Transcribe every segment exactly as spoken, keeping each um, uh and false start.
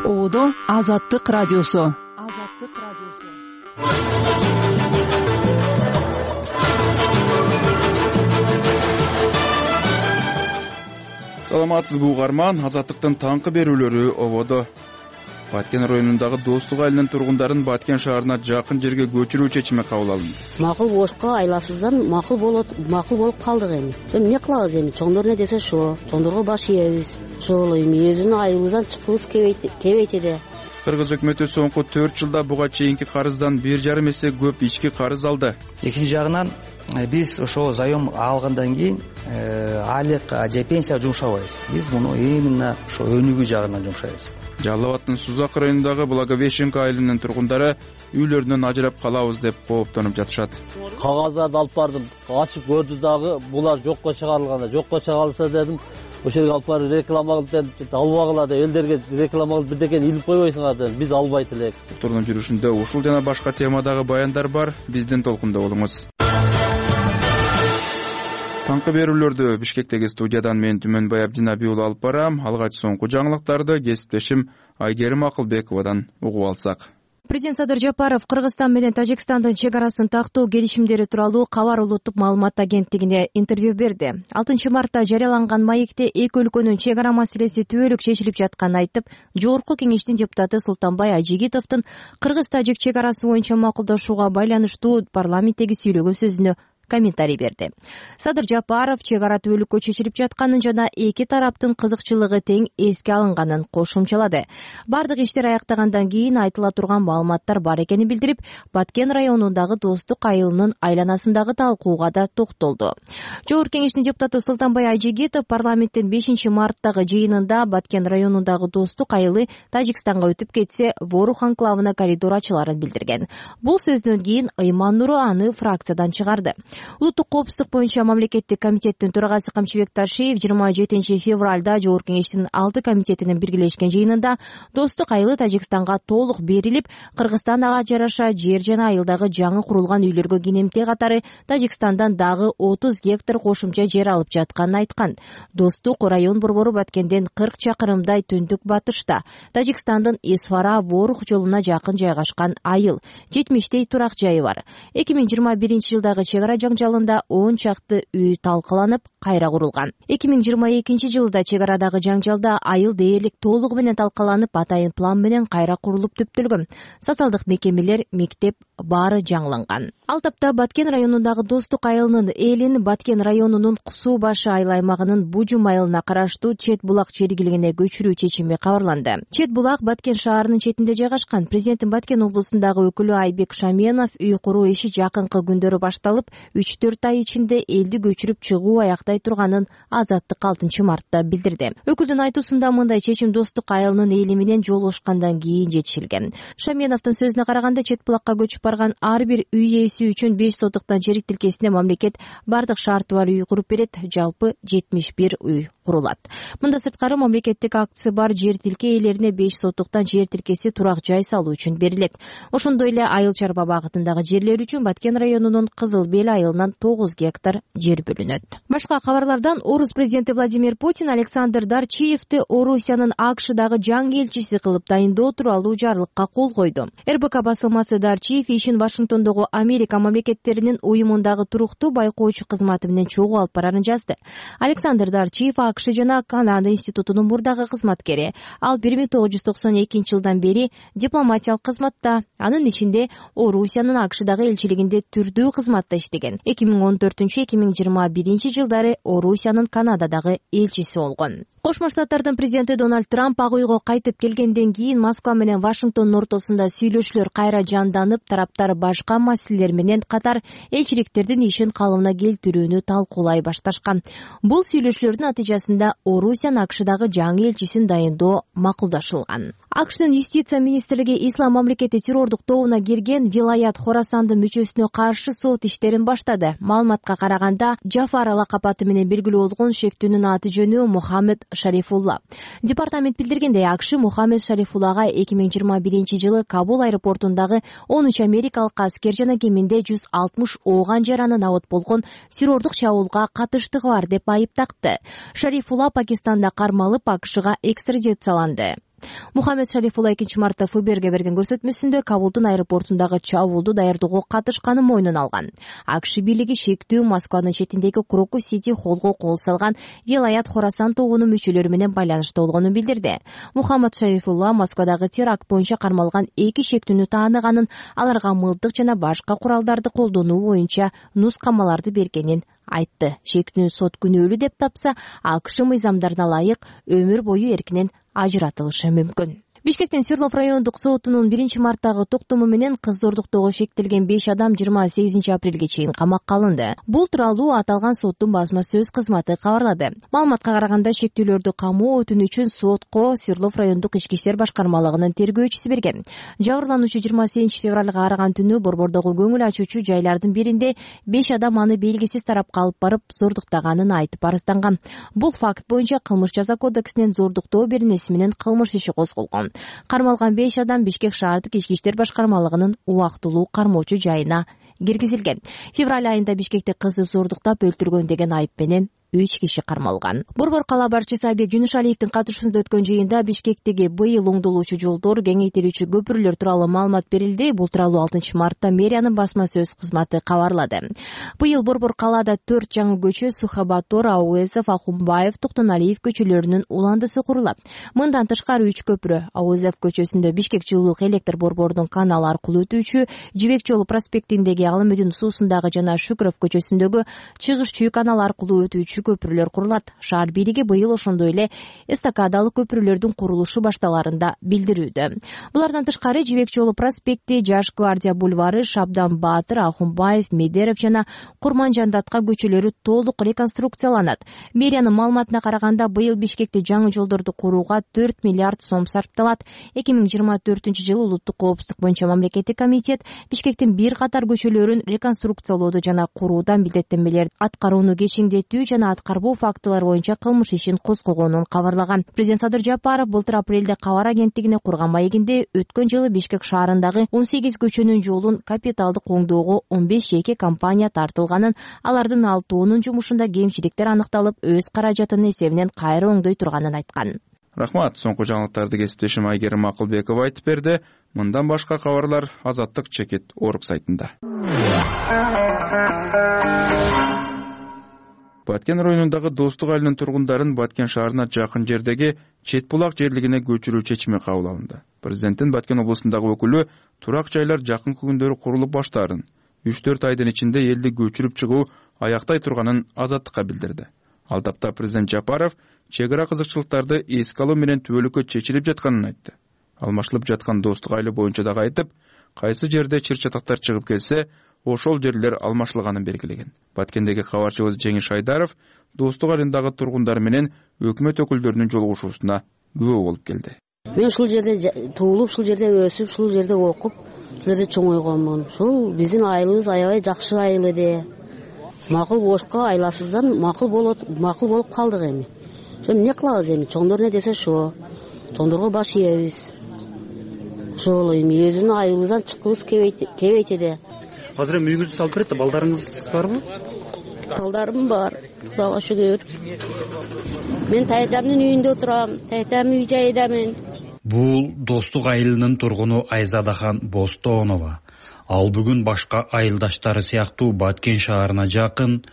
Ободо Азаттык радиосу. Азаттык радиосу. Саламатсызбы угарман, Азаттыктын таңкы берүүлөрү ободо. Баткен районундагы Достук айылынын тургундарын Баткен шаарына жакын жерге көчүрүү чечими кабыл алынды. Макул болушка айласыздан макул болот, макул болуп калдык эми. Эмне кылабыз эми? Чоңдор не десе ошо. Чоңдорго баш ийебиз. Ошол эми өзүнүн айылыбыздан чыккыбыз келбейт эди. Кыргыз өкмөтү соңку төрт жылда буга чейинки карыздан бир жарым эсе көп ички карыз алды. Экинчи жагынан биз ошо заем алгандан кийин айлык же пенсия жумшабайбыз. Биз муну именно ошо өнүгүү жагынан жумшайбыз. Жалал Абадтын Сузак районундагы Благовещенко айылынын тургундары үйлөрүнөн ажырап калабыз деп кооптонуп жатышат. Кагаздарды алып бардым, ачып көрдү дагы булар жокко чыгарылганда, жокко чыгарылса дедим, ошол жерге алып барып реклама кылып албагыла деп, элдерге реклама кылып бирдекени илип койбойсуңар дедим. Биз албайт элек. Турдун жүрүшүндө ушул жана башка темадагы баяндар бар. Биздин толкунда болуңуз. Таңкы берүүлөрдү Бишкектеги студиядан мен Түмөнбай Абдинабий уулу алып барам. Алгач соңку жаңылыктарды кесиптешим Айгерим Акылбековадан угуп алсак. Президент Садыр Жапаров Кыргызстан менен Тажикстандын чек арасын тактоо келишимдери тууралуу Кабар улуттук маалымат агенттигине интервью берди. алтынчы мартта жарыяланган маекте эки өлкөнүн чек ара маселеси түбөлүк чечилип жатканын айтып, Жогорку кеңештин депутаты Султанбай Ажигитовдун Кыргыз-Тажик чек арасы боюнча макулдашууга байланыштуу парламенттеги сүйлөгөн сөзүнө комментарий берди. Садыр Жапаров чек ара түбөлүккө чечилип жатканын жана эки тараптын кызыкчылыгы тең эске алынганын кошумчалады. Бардык иштер аяктагандан кийин айтыла турган маалыматтар бар экенин билдирип, Баткен районундагы Достук айылынын айланасындагы талкууга да токтолду. Жогорку кеңештин депутаты Султанбай Ажигитов парламенттин бешинчи марттагы жыйынында Баткен районундагы Достук айылы Тажикстанга өтүп кетсе, Ворух анклавына коридор ачыларын билдирген. Бул сөздөн кийин Ыйман Нуру аны фракциядан чыгарды. Улуттук коопсуздук боюнча мамлекеттик комитеттин төрагасы Камчыбек Ташиев жыйырма жетинчи февралда Жогорку кеңештин алты комитетинин биргелешкен жыйынында Достук айылы Тажикстанга толук берилип, Кыргызстан ага жараша жер жана айылдагы жаңы курулган үйлөргө кенемте катары Тажикстандан дагы отуз гектар кошумча жер алып жатканын айткан. Достук район борбору Баткенден кырк чакырымдай түндүк батышта, Тажикстандын Исфара Ворух жолуна жакын жайгашкан айыл. жетимиштей турак жайы бар. эки миң жыйырма биринчи жылдагы чек ара жаңжалында он чакты үй талкаланып, кайра курулган. эки миң жыйырма экинчи жылда чек арадагы жаңжалда айыл дээрлик толугу менен талкаланып, атайын план менен кайра курулуп түптөлгөн. Социалдык мекемелер, мектеп баары жаңыланган. Ал тапта Баткен районундагы Достук айылынын элин Баткен районунун Суу башы айыл аймагынын Бужум айылына караштуу Чет булак чергилигине көчүрүү чечими кабарланды. Чет булак Баткен шаарынын четинде жайгашкан. Президенттин Баткен облусундагы өкүлү Айбек Шаменов үй куруу иши жакынкы күндөрү башталып, үч төрт ай ичинде элди көчүрүп чыгуу аяктай турганын Азаттык алтынчы мартта билдирди. Өкүлдүн айтуусунда мындай чечим Достук айылынын эли менен жолугушкандан кийин жетишилген. Шаменовдун сөзүнө караганда, Чет булакка көчүп барган ар бир үй ээси үчүн беш сотуктан жер тилкесине мамлекет бардык шарты бар үй куруп берет, жалпы жетимиш бир үй курулат. Мында сырткары мамлекеттик акции бар жер тилке ээлерине беш сотуктан жер тилкеси турак жай салуу үчүн берилет. Ошондой эле Айыл Чарба багытындагы жерлер үчүн Баткен районунун Кызыл Бел айылынан тогуз гектар жер бөлүнөт. Башка кабарлардан Орус президенти Владимир Путин Александр Дарчиевди Орусиянын АКШдагы жаңы элчиси кылып дайындоо тууралуу жарлыкка кол койду. эр бэ ка басылмасы Дарчиев ишин Вашингтондогу Америка мамлекеттеринин уюмундагы туруктуу байкоочу кызматы менен чогуу алып барарын жазды. Александр Дарчиев АКШ жана Канада институтунун мурдагы кызматкери. Ал бир миң тогуз жүз токсон экинчи жылдан бери дипломатиялык кызматта, анын ичинде Орусиянын АКШдагы элчилигинде түрдүү кызматта иштеген. эки миң он төртүнчү эки миң жыйырма биринчи жылдары Орусиянын Канададагы элчиси болгон. Кошмо Штаттардын президенти Дональд Трамп ак үйгө кайтып келгенден кийин Москва менен Вашингтондун ортосунда сүйлөшүүлөр кайра жанданып, тараптар башка маселелер менен катар элчиликтердин ишин калыбына келтирүүнү талкуулай башташкан. Бул сүйлөшүүлөрдүн натыйжасында Орусиянын АКШдагы жаңы элчисин дайындоо макулдашылган. АКШдын юстиция министрлиги Ислам мамлекети террордук тобуна кирген Вилаят Хорасандын мүчөсүнө каршы сот иштерин баштады. Маалыматка караганда, Жафар лакап аты менен белгилүү болгон шектүүнүн аты жөнү Мухаммед Шарифулла. Департамент билдиргендей, АКШ Мухаммед Шарифуллага эки миң жыйырма биринчи жылы Кабул аэропортундагы он үч америкалык аскер жана кеминде жүз алтымыш ооган жараны набыт болгон террордук чабуулга катыштыгы бар деп айыптакты. Шарифулла Пакистанда кармалып АКШга экстрадицияланды. Мухаммед Шарифулла экинчи мартта ФБРге берген көрсөтмөсүндө Кабулдун аэропортундагы чабуулду даярдоого катышканын мойнуна алган. АКШ бийлиги шектүү Москванын четиндеги Крокус Сити холлго кол салган Вилаят Хорасан тобунун мүчөлөрү менен байланыштуу болгонун билдирди. Мухаммед Шарифулла Москвадагы теракт боюнча кармалган эки шектүүнү тааныганын, аларга мылтык жана башка куралдарды колдонуу боюнча нускамаларды бергенин айтты. Шектүүнү сот күнөөлүү деп тапса, АКШ мыйзамдарына ылайык өмүр бою эркинен ажыратылышы мүмкүн. Бишкектин Свердлов райондук сотунун биринчи марттагы токтому менен кыз зордуктоого шектелген беш адам жыйырма сегизинчи апрелге чейин камакка алынды. Бул тууралуу аталган соттун басма сөз кызматы кабарлады. Маалыматка караганда, шектүүлөрдү камоо өтүнүчүн сотко Свердлов райондук ички иштер башкармалыгынын тергөөчүсү берген. Жабырлануучу жыйырма сегизинчи февралга караган түнү борбордогу көңүл ачуучу жайлардын биринде беш адам аны белгисиз тарапка алып барып зордуктаганын айтып арызданган. Бул факт боюнча Кылмыш жаза кодексинен зордуктоо беренеси менен кылмыш иши козголгон. Кармалган беш адам Бишкек шаардык ички иштер башкармалыгынын убактылуу кармоочу жайына киргизилген. Февраль айында Бишкекте кызды зордуктап өлтүргөн деген айып менен үч киши кармалган. Борбор кала башчысы Айбек Жунушалиевдин катышуусунда өткөн жыйында Бишкектеги быйыл оңдолуучу жолдор, кеңейтилүүчү көпүрлөр тууралуу маалымат берилди. Бул тууралуу алтынчы мартта мэриянын басма сөз кызматы кабарлады. Быйыл Борбор калаада төрт жаңы көчө Сухабатор, Ауэзов, Ахунбаев, Токтоналиев көчөлөрүнүн уландысы курулат. Мындан тышкары үч көпүрө Ауэзов көчөсүндө Бишкек жылуулук электр борборунун каналы аркылуу өтүүчү, Жибек жолу проспектиндеги Алымөдүн суусундагы жана Шукров көчөсүндөгү чыгыш чүй каналы аркылуу өтүүчү көпүрөлөр курулат. Шаар бийлиги быйыл ошондой эле эстакадалык көпүрөлөрдүн курулушу башталарын да билдирүүдө. Булардан тышкары Жибек жолу проспекти, Жаш гвардия бульвары, Шабдан Баатыр, Ахунбаев, Медеров жана Курманжандатка көчөлөрү толук реконструкцияланат. Мэриянын маалыматына караганда, быйыл Бишкекте жаңы жолдорду курууга төрт миллиард сом сарпталат. эки миң жыйырма төртүнчү жылы улуттук коопсуздук боюнча мамлекеттик комитет Бишкектин бир катар көчөлөрүн реконструкциялоодо жана куруудан милдеттенмелерди аткарууну кечиңдетүү жана аткарбоо фактылар боюнча кылмыш ишин козгогонун кабарлаган. Президент Садыр Жапаров былтыр апрелде Кабар агенттигине курган маегинде өткөн жылы Бишкек шаарындагы он сегиз көчөнүн жолун капиталдык оңдоого он беш жеке компания тартылганын, алардын алтоонун жумушунда кемчиликтер аныкталып, өз каражатынын эсебинен кайра оңдой турганын айткан. Рахмат. Соңку жаңылыктарды кесиптешим Айгерим Акылбекова айтып берди. Мындан башка кабарлар Азаттык чекит орг сайтында. Баткен районундагы Достук айылынын тургундарын Баткен шаарына жакын жердеги Чет булак жерлигине көчүрүү чечими кабыл алынды. Президенттин Баткен облусундагы өкүлү турак жайлар жакынкы күндөрү курулуп баштаарын, үч төрт айдын ичинде элди көчүрүп чыгуу аяктай турганын Азаттыкка билдирди. Ал тапта президент Жапаров чек ара кызыкчылыктарды эске алуу менен түбөлүккө чечилип жатканын айтты. Алмашылып жаткан Достук айылы боюнча дагы айтып, кайсы жерде чыр чатактар чыгып келсе, ошол жерлер алмашылганын белгилеген. Баткендеги кабарчыбыз Жеңиш Айдаров Достук айылындагы тургундар менен өкмөт өкүлдөрүнүн жолугушуусуна күбө болуп келди. Мен ушул жерде туулуп, ушул жерде өсүп, ушул жерде окуп, ушул жерде чоңойгонмун. Ушул биздин айылыбыз аябай жакшы айыл эди. Макул бошко айласыздан макул болот, макул болуп калдык эми. Ошо эмне кылабыз эми? Чоңдор не десе ошо. Чоңдорго баш ийебиз. Ошол эми өзүнүн айылыбыздан чыккыбыз кебейт эди. Азыр эми үйүңүздү салып берет да, балдарыңыз барбы? Балдарым бар, Кудайга шүгүр. Мен тайтамдын үйүндө отурам, тайтам үй жайдамын. Бул Достук айылынын тургуну Айзадахан Бостоонова. Ал бүгүн башка айылдаштары сыяктуу Баткен шаарына жакын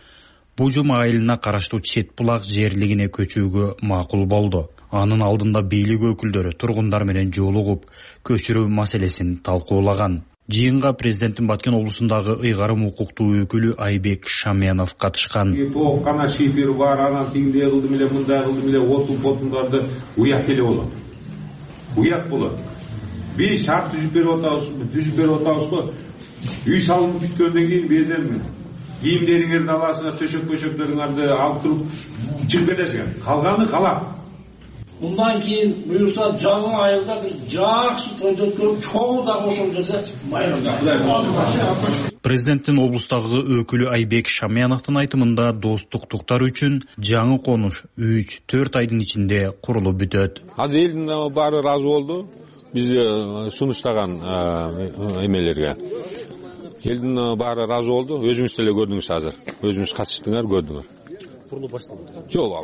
Бужум айылына караштуу Чет булак жерлигине көчүүгө макул болду. Анын алдында бийлик өкүлдөрү тургундар менен жолугуп, көчүрүү маселесин талкуулаган. Жыйынга президенттин Баткен облусундагы ыйгарым укуктуу өкүлү Айбек Шаменов катышкан. Тоок кана шифер бар, анан тиңдей кылдым эле, мындай кылдым эле, отун потундарды уят эле болот. Уят болот. Биз шарт түзүп берип атабыз, түзүп берип атабыз го. Үй салынып бүткөндөн кийин берден кийимдериңерди аласыңар, төшөк-пөшөктөрүңөрдү алып туруп чыгып кетесиңер. Калганы калат. Bundan keyin buyursa жаңы айылда bir жакшы тойду өткөрүп, чоң да ошол жерде майрамда. Президенттин облустагы өкүлү Айбек Шаменовдун айтымында достуктуктар үчүн жаңы конуш үч төрт айдын ичинде курулуп бүтөт. Азыр элдин баары ыраазы болду. Биз сунуштаган эмелерге. Элдин баары ыраазы болду. Өзүңүз деле көрдүңүз азыр. Өзүңүз катыштыңар, көрдүңөр. Курулуп башталды. Жок,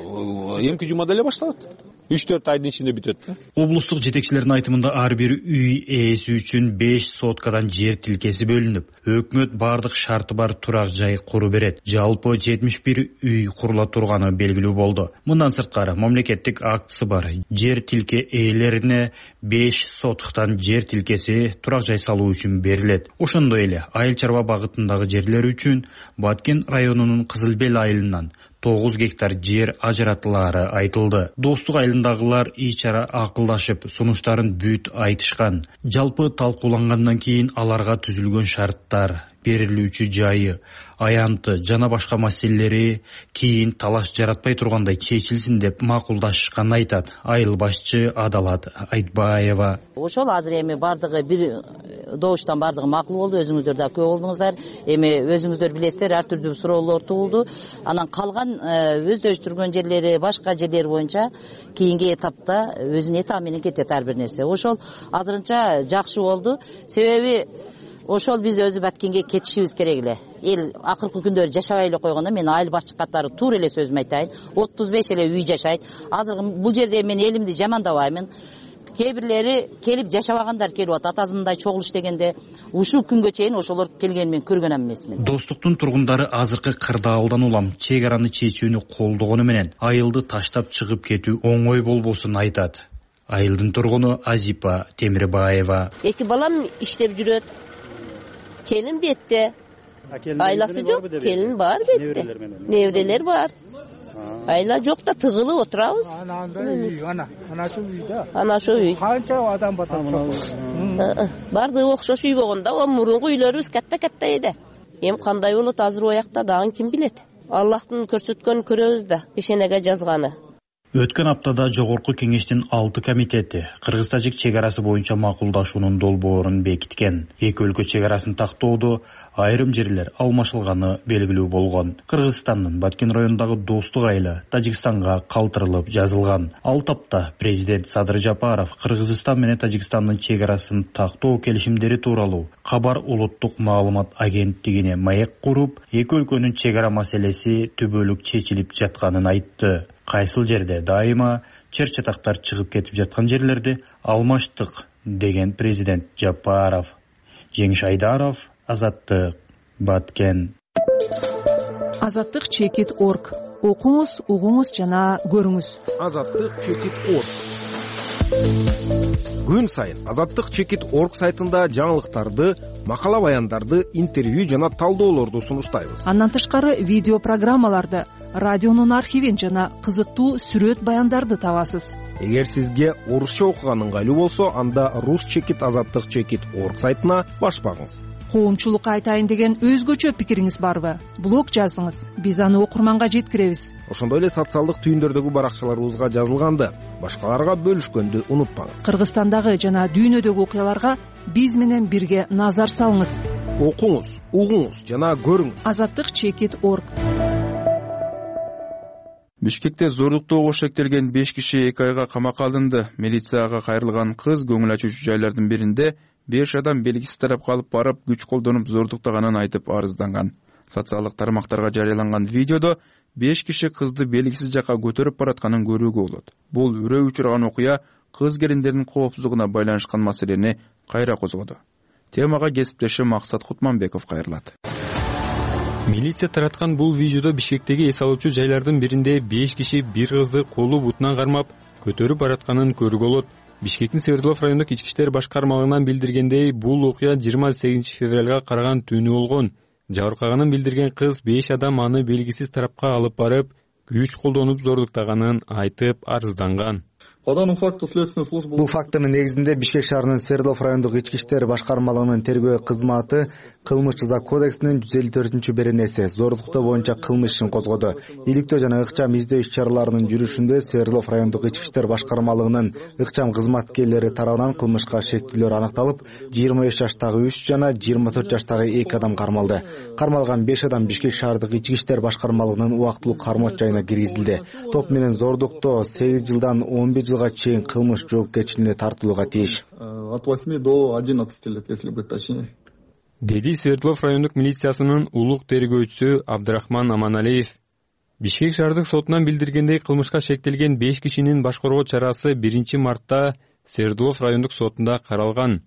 эмки жумада эле башталат. үч төрт айдын ичинде бүтөт да. Облустук жетекчилердин айтымында ар бир үй ээси үчүн беш соткадан жер тилкеси бөлүнүп, өкмөт бардык шарты бар турак жай куру берет. Жалпы жетимиш бир үй курула турганы белгилүү болду. Мындан сырткары мамлекеттик актысы бар жер тилке ээлерине беш соткадан жер тилкеси турак жай салуу үчүн берилет. Ошондой эле айыл чарба багытындагы жерлер үчүн Баткен районунун Кызыл Бел айылынан тогуз гектар жер ажыратылары айтылды. Достук айылындагылар ичара акылдашып, сунуштарын бүт айтышкан. Жалпы талкуулангандан кийин аларга түзүлгөн шарттар, берилүүчү жайы, аянты жана башка маселелери кийин талаш жаратпай тургандай чечилсин деп макулдашканын айтат айыл башчы Адалат Айтбаева. Ошол азыр эми бардыгы бир добуштан бардыгы макул болду. Өзүңүздөр да көп болдуңуздар. Эми өзүңүздөр билесиздер, ар түрдүү суроолор туулду. Анан калган өздөштүргөн жерлери, башка жерлер боюнча кийинки этапта өзүнүн этабы менен кетет ар бир нерсе. Ошол азырынча жакшы болду. Себеби ошол биз өзү Баткенге кетишибиз керек эле. Эл акыркы күндөрү жашабай эле койгондо мен айыл башчы катары туура эле сөзүмдү айтайын. отуз беш эле үй жашайт. Азыр бул жерде мен элимди жамандабаймын. Кээ бирлери келип жашабагандар келип атат. Атасындай чогулуш дегенде ушул күнгө чейин ошолор келгенин мен көргөн эмесмин. Достуктун тургундары азыркы кырдаалдан улам чек араны чечүүнү колдогону менен айылды таштап чыгып кетүү оңой болбосун айтат. Айылдын тургуну Азипа Темирбаева. Эки балам иштеп жүрөт. Келин бетте. Айласы жок, келин бар бетте. Неврелер бар. Айла жок да тыгылып отурабыз. Ана, анашыл үй да. Анашыл үй. Канча адам батат. Барды окшош үй болгондо, о мурунку үйлөрүбүз катта-катта эди. Эми кандай болот азыр оякта дагы ким билет. Аллахтын көрсөткөнүн көрөбүз да, пешенеге жазганы. Өткөн аптада жогорку кеңештин алты комитети Кыргыз-Тажик чек арасы боюнча макулдашуунун долбоорун бекиткен. Эки өлкө чек арасын тактоодо айрым жерлер алмашылганы белгилүү болгон. Кыргызстандын Баткен районундагы Достук айылы Тажикстанга калтырылып жазылган. Ал тапта президент Садыр Жапаров Кыргызстан менен Тажикстандын чек арасын тактоо келишимдери тууралуу Кабар улуттук маалымат агенттигине маек куруп, эки өлкөнүн чек ара маселеси түбөлүк чечилип жатканын айтты. Кайсыл жерде дайыма чыр-чатактар чыгып кетип жаткан жерлерди алмаштык деген президент Жапаров. Жеңиш Айдаров, Азаттык, Баткен. Азаттык чекит точка орг. Окуңуз, угуңуз жана көрүңүз. Азаттык чекит точка орг. Күн сайын Азаттык чекит точка орг сайтында жаңылыктарды, макала баяндарды, интервью жана талдоолорду сунуштайбыз. Андан тышкары видео программаларды, радионун архивин жана кызыктуу сүрөт баяндарды табасыз. Эгер сизге орусча окуган ыңгайлуу болсо, анда рус чекит азаттык чекит точка орг сайтына баш багыңыз. Коомчулукка айтайын деген өзгөчө пикириңиз барбы? Блог жазыңыз, биз аны окурманга жеткиребиз. Ошондой эле социалдык түйүндөрдөгү баракчаларыбызга жазылганды башкаларга бөлүшкөндү унутпаңыз. Кыргызстандагы жана дүйнөдөгү окуяларга биз менен бирге назар салыңыз. Окуңуз, угуңуз жана көрүңүз. Азаттык чекит точка орг. Бишкекте зордуктоого шектелген беш киши эки айга камакка алынды. Милицияга кайрылган кыз көңүл ачуучу жайлардын биринде беш адам белгисиз тарапка алып барып, күч колдонуп зордуктаганын айтып арызданган. Социалдык тармактарга жарыяланган видеодо беш киши кызды белгисиз жакка көтөрүп баратканын көрүүгө болот. Бул үрөө учурган окуя кыз келиндердин коопсуздугуна байланышкан маселени кайра козгоду. Темага кесиптешим Максат Кутманбеков кайрылат. Милиция тараткан бул видеодо Бишкектеги эс алуучу жайлардын биринде беш киши бир кызды колу бутунан кармап көтөрүп баратканын көрүүгө болот. Бишкектин Свердлов райондук ички иштер башкармалыгынан билдиргендей, бул окуя жыйырма сегизинчи февралга караган түнү болгон. Жабыркаганын билдирген кыз беш адам аны белгисиз тарапка алып барып, күч колдонуп зордуктаганын айтып арызданган. Бул фактынын негизинде Бишкек шаарынын Свердлов райондук ички иштер башкармалыгынын тергөө кызматы кылмыш жаза кодексинин жүз элүү төртүнчү беренеси зордуктоо боюнча кылмыш ишин козгоду. Иликтөө жана ыкчам издөө иш чараларынын жүрүшүндө Свердлов райондук ички иштер башкармалыгынын ыкчам кызматкерлери тарабынан кылмышка шектүүлөр аныкталып, жыйырма беш жаштагы үч жана жыйырма төрт жаштагы эки адам кармалды. Кармалган беш адам Бишкек шаардык ички иштер башкармалыгынын убактылуу кармоочу жайына киргизилди. Топ менен зордуктоо сегиз жылдан он бир жылга чейин кылмыш жоопкерчилигине тартылууга тийиш. От восьми до одиннадцати лет, если быть точнее. Деди Свердлов райондук милициясынын улук тергөөчүсү Абдрахман Аманалиев. Бишкек шаардык сотунан билдиргендей, кылмышка шектелген беш кишинин баш коргоо чарасы биринчи мартта Свердлов райондук сотунда каралган.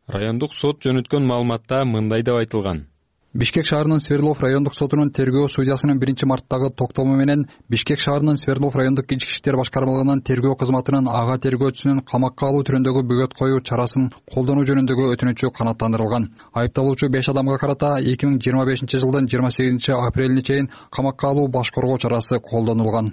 Райондук сот жөнөткөн маалыматта мындай деп айтылган. Бишкек шаарынын Свердлов райондук сотунун тергөө судьясынын биринчи марттагы токтому менен Бишкек шаарынын Свердлов райондук ички иштер башкармалыгынын тергөө кызматынын ага тергөөчүсүнүн камакка алуу түрүндөгү бөгөт коюу чарасын колдонуу жөнүндөгү өтүнүчү канааттандырылган. Айыпталуучу беш адамга карата эки миң жыйырма бешинчи жылдын жыйырма сегизинчи апрелине чейин камакка алуу баш коргоо чарасы колдонулган.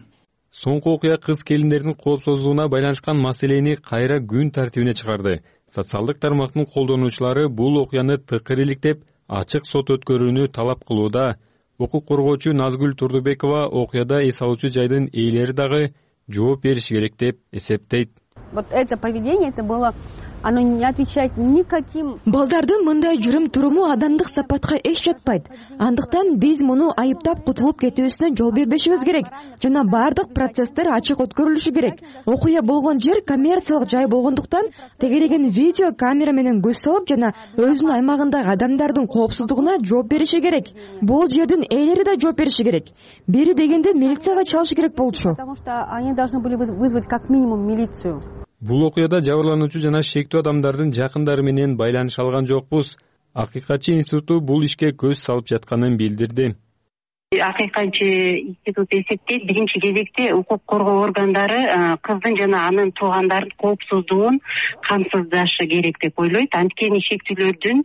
Соңку окуя кыз келиндердин коопсуздугуна байланышкан маселени кайра күн тартибине чыгарды. Социалдык тармактын колдонуучулары бул окуяны тыкыр иликтеп, ачык сот өткөрүүнү талап кылууда. Укук коргоочу Назгүл Турдубекова окуяда эс алуучу жайдын ээлери дагы жооп бериши керек деп эсептейт. Вот это поведение, это было, оно не отвечает никаким. Балдардын мындай жүрүм туруму адамдык сапатка эч жатпайт. Андыктан биз муну айыптап кутулуп кетүүсүнө жол бербешибиз керек жана бардык процесстер ачык өткөрүлүшү керек. Окуя болгон жер коммерциялык жай болгондуктан тегереген видео камера менен көз салып жана өзүнүн аймагындагы адамдардын коопсуздугуна жооп бериши керек. Бул жердин ээлери да жооп бериши керек. Бери дегенде милицияга чалышы керек болчу. Потому что они должны были вызвать как минимум милицию. Бул окуяда жабырлануучу жана шектүү адамдардын жакындары менен байланыша алган жокпуз. Акыйкатчы институту бул ишке көз салып жатканын билдирди. Акыйкатчы институт эсептейт, биринчи кезекте укук коргоо органдары кыздын жана анын туугандардын коопсуздугун камсыздашы керек деп ойлойт. Анткени шектүүлөрдүн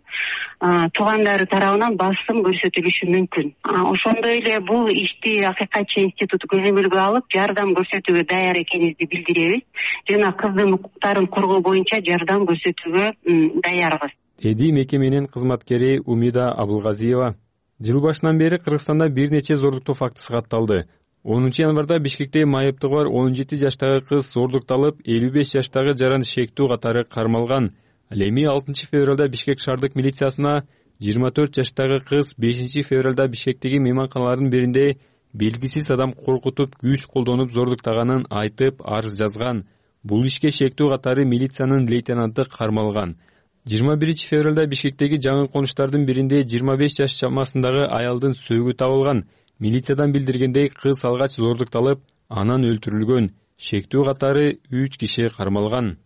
туугандары тарабынан басым көрсөтүлүшү мүмкүн. Ошондой эле бул ишти Акыйкатчы институту көзөмөлгө алып, жардам көрсөтүүгө даяр экенибизди билдиребиз жана кыздын укуктарын коргоо боюнча жардам көрсөтүүгө даярбыз, деди мекеменин кызматкери Умида Абылгазиева. Жыл башынан бери Кыргызстанда бир нече зордуктоо фактысы катталды. онунчу январда Бишкекте майыптыгы бар он жети жаштагы кыз зордукталып, элүү беш жаштагы жаран шектүү катары кармалган. Ал эми алтынчы февралда Бишкек шаардык милициясына жыйырма төрт жаштагы кыз бешинчи февралда Бишкектеги мейманканалардын биринде белгисиз адам коркутуп, күч колдонуп зордуктаганын айтып арыз жазган. Бул ишке шектүү катары милициянын лейтенанты кармалган. жыйырма биринчи февралда Бишкектеги жаңы конуштардын биринде жыйырма беш жаш чамасындагы аялдын сөөгү табылган. Милициядан билдиргендей, кыз алгач зордукталып, анан өлтүрүлгөн. Шектүү катары үч киши кармалган.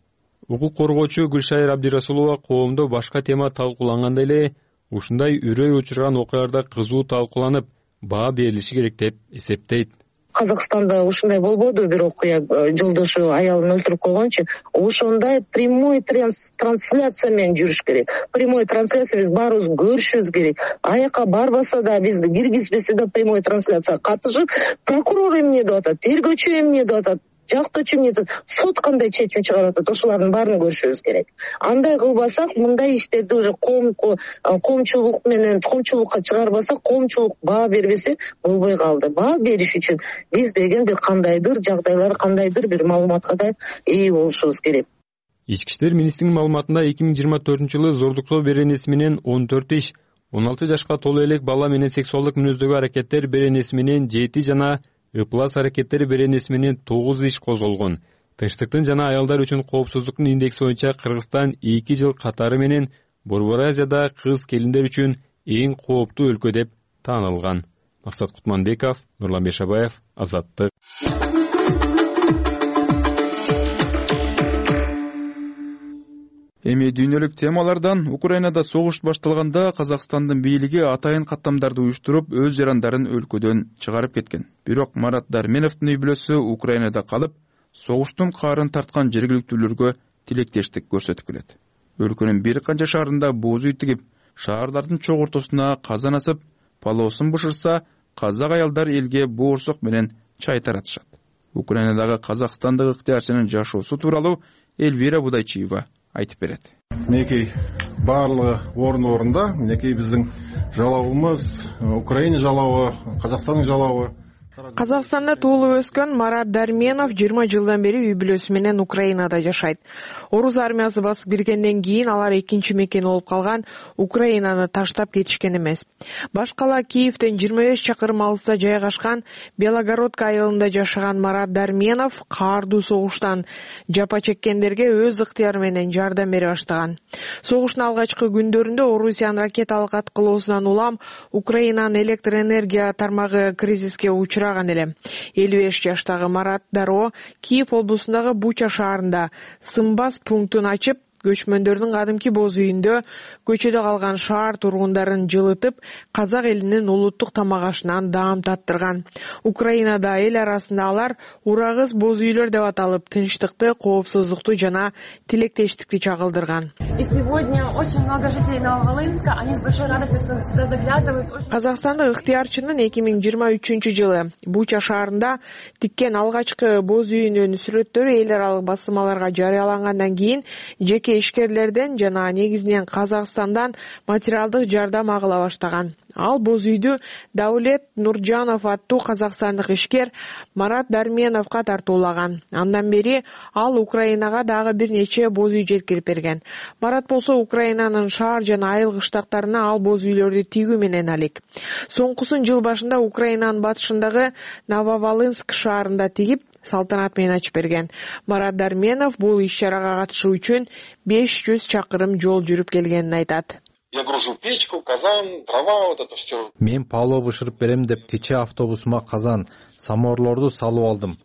Укук коргоочу Гүлшайыр Абдирасулова коомдо башка тема талкууланганда эле ушундай үрөй учурган окуяларда кызуу талкууланып, баа берилиши керек деп эсептейт. Казакстанда ушундай болбоду, бир окуя жолдошу аялын өлтүрүп койгончу. Ошондой прямой трансляция менен жүрүш керек. Прямой трансляция биз баарыбыз көрүшүбүз керек. Аяка барбаса да, бизди киргизбесе да прямой трансляция катышып, прокурор эмне деп атат, тергөөчү эмне деп атат, жактоочу эмне деп атат, сот кандай чечим чыгарып атат, ошолардын баарын көрүшүбүз керек. Андай кылбасак, мындай иштерди уже коомко коомчулук менен коомчулукка чыгарбасак, коомчулук баа бербесе болбой калды. Баа бериш үчүн биз деген бир кандайдыр жагдайлар, кандайдыр бир маалыматка да ээ болушубуз керек. Ички иштер министринин маалыматында эки миң жыйырма төртүнчү жылы зордуктоо беренеси менен он төрт иш, он алты жашка толо элек бала менен сексуалдык мүнөздөгү аракеттер беренеси менен жети жана ыплас аракеттери беренеси менен тогуз иш козголгон. Тынчтыктын жана аялдар үчүн коопсуздуктун индекси боюнча Кыргызстан эки жыл катары менен Борбор Азияда кыз келиндер үчүн эң кооптуу өлкө деп таанылган. Максат Кутманбеков, Нурлан Бешабаев, Азаттык. Эми дүйнөлүк темалардан Украинада согуш башталганда Казакстандын бийлиги атайын каттамдарды уюштуруп, өз жарандарын өлкөдөн чыгарып кеткен. Бирок Марат Дарменовдун үй бүлөсү Украинада калып, согуштун каарын тарткан жергиликтүүлөргө тилектештик көрсөтүп келет. Өлкөнүн бир канча шаарында бууз үй тигип, шаардардын чок ортосуна казан асып, палоосун бышырса, казак аялдар элге боорсок менен чай таратышат. Украинадагы казакстандык ыктыярчынын жашоосу тууралуу Эльвира Будайчиева айтып берет. Минекей барлыгы орун орунда, минекей биздин жалабыбыз, Украина жалабы, Казакстандын жалабы. Казакстанда туулуп өскөн Марат Дарменов жыйырма жылдан бери үй бүлөсү менен Украинада жашайт. Орус армиясы басып киргенден кийин алар экинчи мекени болуп калган Украинаны таштап кетишкен эмес. Башкала Киевден жыйырма беш чакырым алыста жайгашкан Белогородка айылында жашаган Марат Дарменов каардуу согуштан жапа чеккендерге өз ыктыяры менен жардам бере баштаган. Согуштун алгачкы күндөрүндө Орусиянын ракеталык аткылоосунан улам Украинанын электр энергия тармагы кризиске учурап ажыраган эле. элүү беш жаштагы Марат дароо Киев облусундагы Буча шаарында сымбас пунктун ачып, көчмөндөрдүн кадимки боз үйүндө көчөдө калган шаар тургундарын жылытып, казак элинин улуттук тамак ашынан даам таттырган. Украинада эл арасында алар урагыз боз үйлөр деп аталып, тынчтыкты, коопсуздукту жана тилектештикти чагылдырган. Казакстандык ыктыярчынын эки миң жыйырма үчүнчү жылы Буча шаарында тиккен алгачкы боз үйүнүн сүрөттөрү эл аралык басылмаларга жарыялангандан кийин жеке ишкерлерден жана негизинен Казакстандан материалдык жардам агыла баштаган. Ал боз үйдү Даулет Нуржанов аттуу казакстандык ишкер Марат Дарменовго тартуулаган. Андан бери ал Украинага дагы бир нече боз үй жеткирип берген. Марат болсо Украинанын шаар жана айыл кыштактарына ал боз үйлөрдү тигүү менен алек. Соңкусун жыл башында Украинанын батышындагы Нововолынск шаарында тигип, салтанат менен ачып берген. Марат Дарменов бул иш-чарага катышуу үчүн беш жүз чакырым жол жүрүп келгенин айтат. Я гружу печку, казан, дрова, вот это все. Мен палоо бышырып берем деп кече автобусума казан, самоорлорду салып алдым.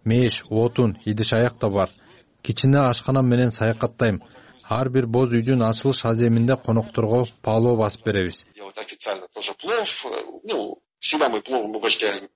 Меш, отун, идиш аяк да бар. Кичине ашканам менен саякаттайм. Ар бир боз үйдүн ачылыш аземинде конокторго палоо басып беребиз. Я вот официально тоже плов, ну, всегда мы пловом угощаем.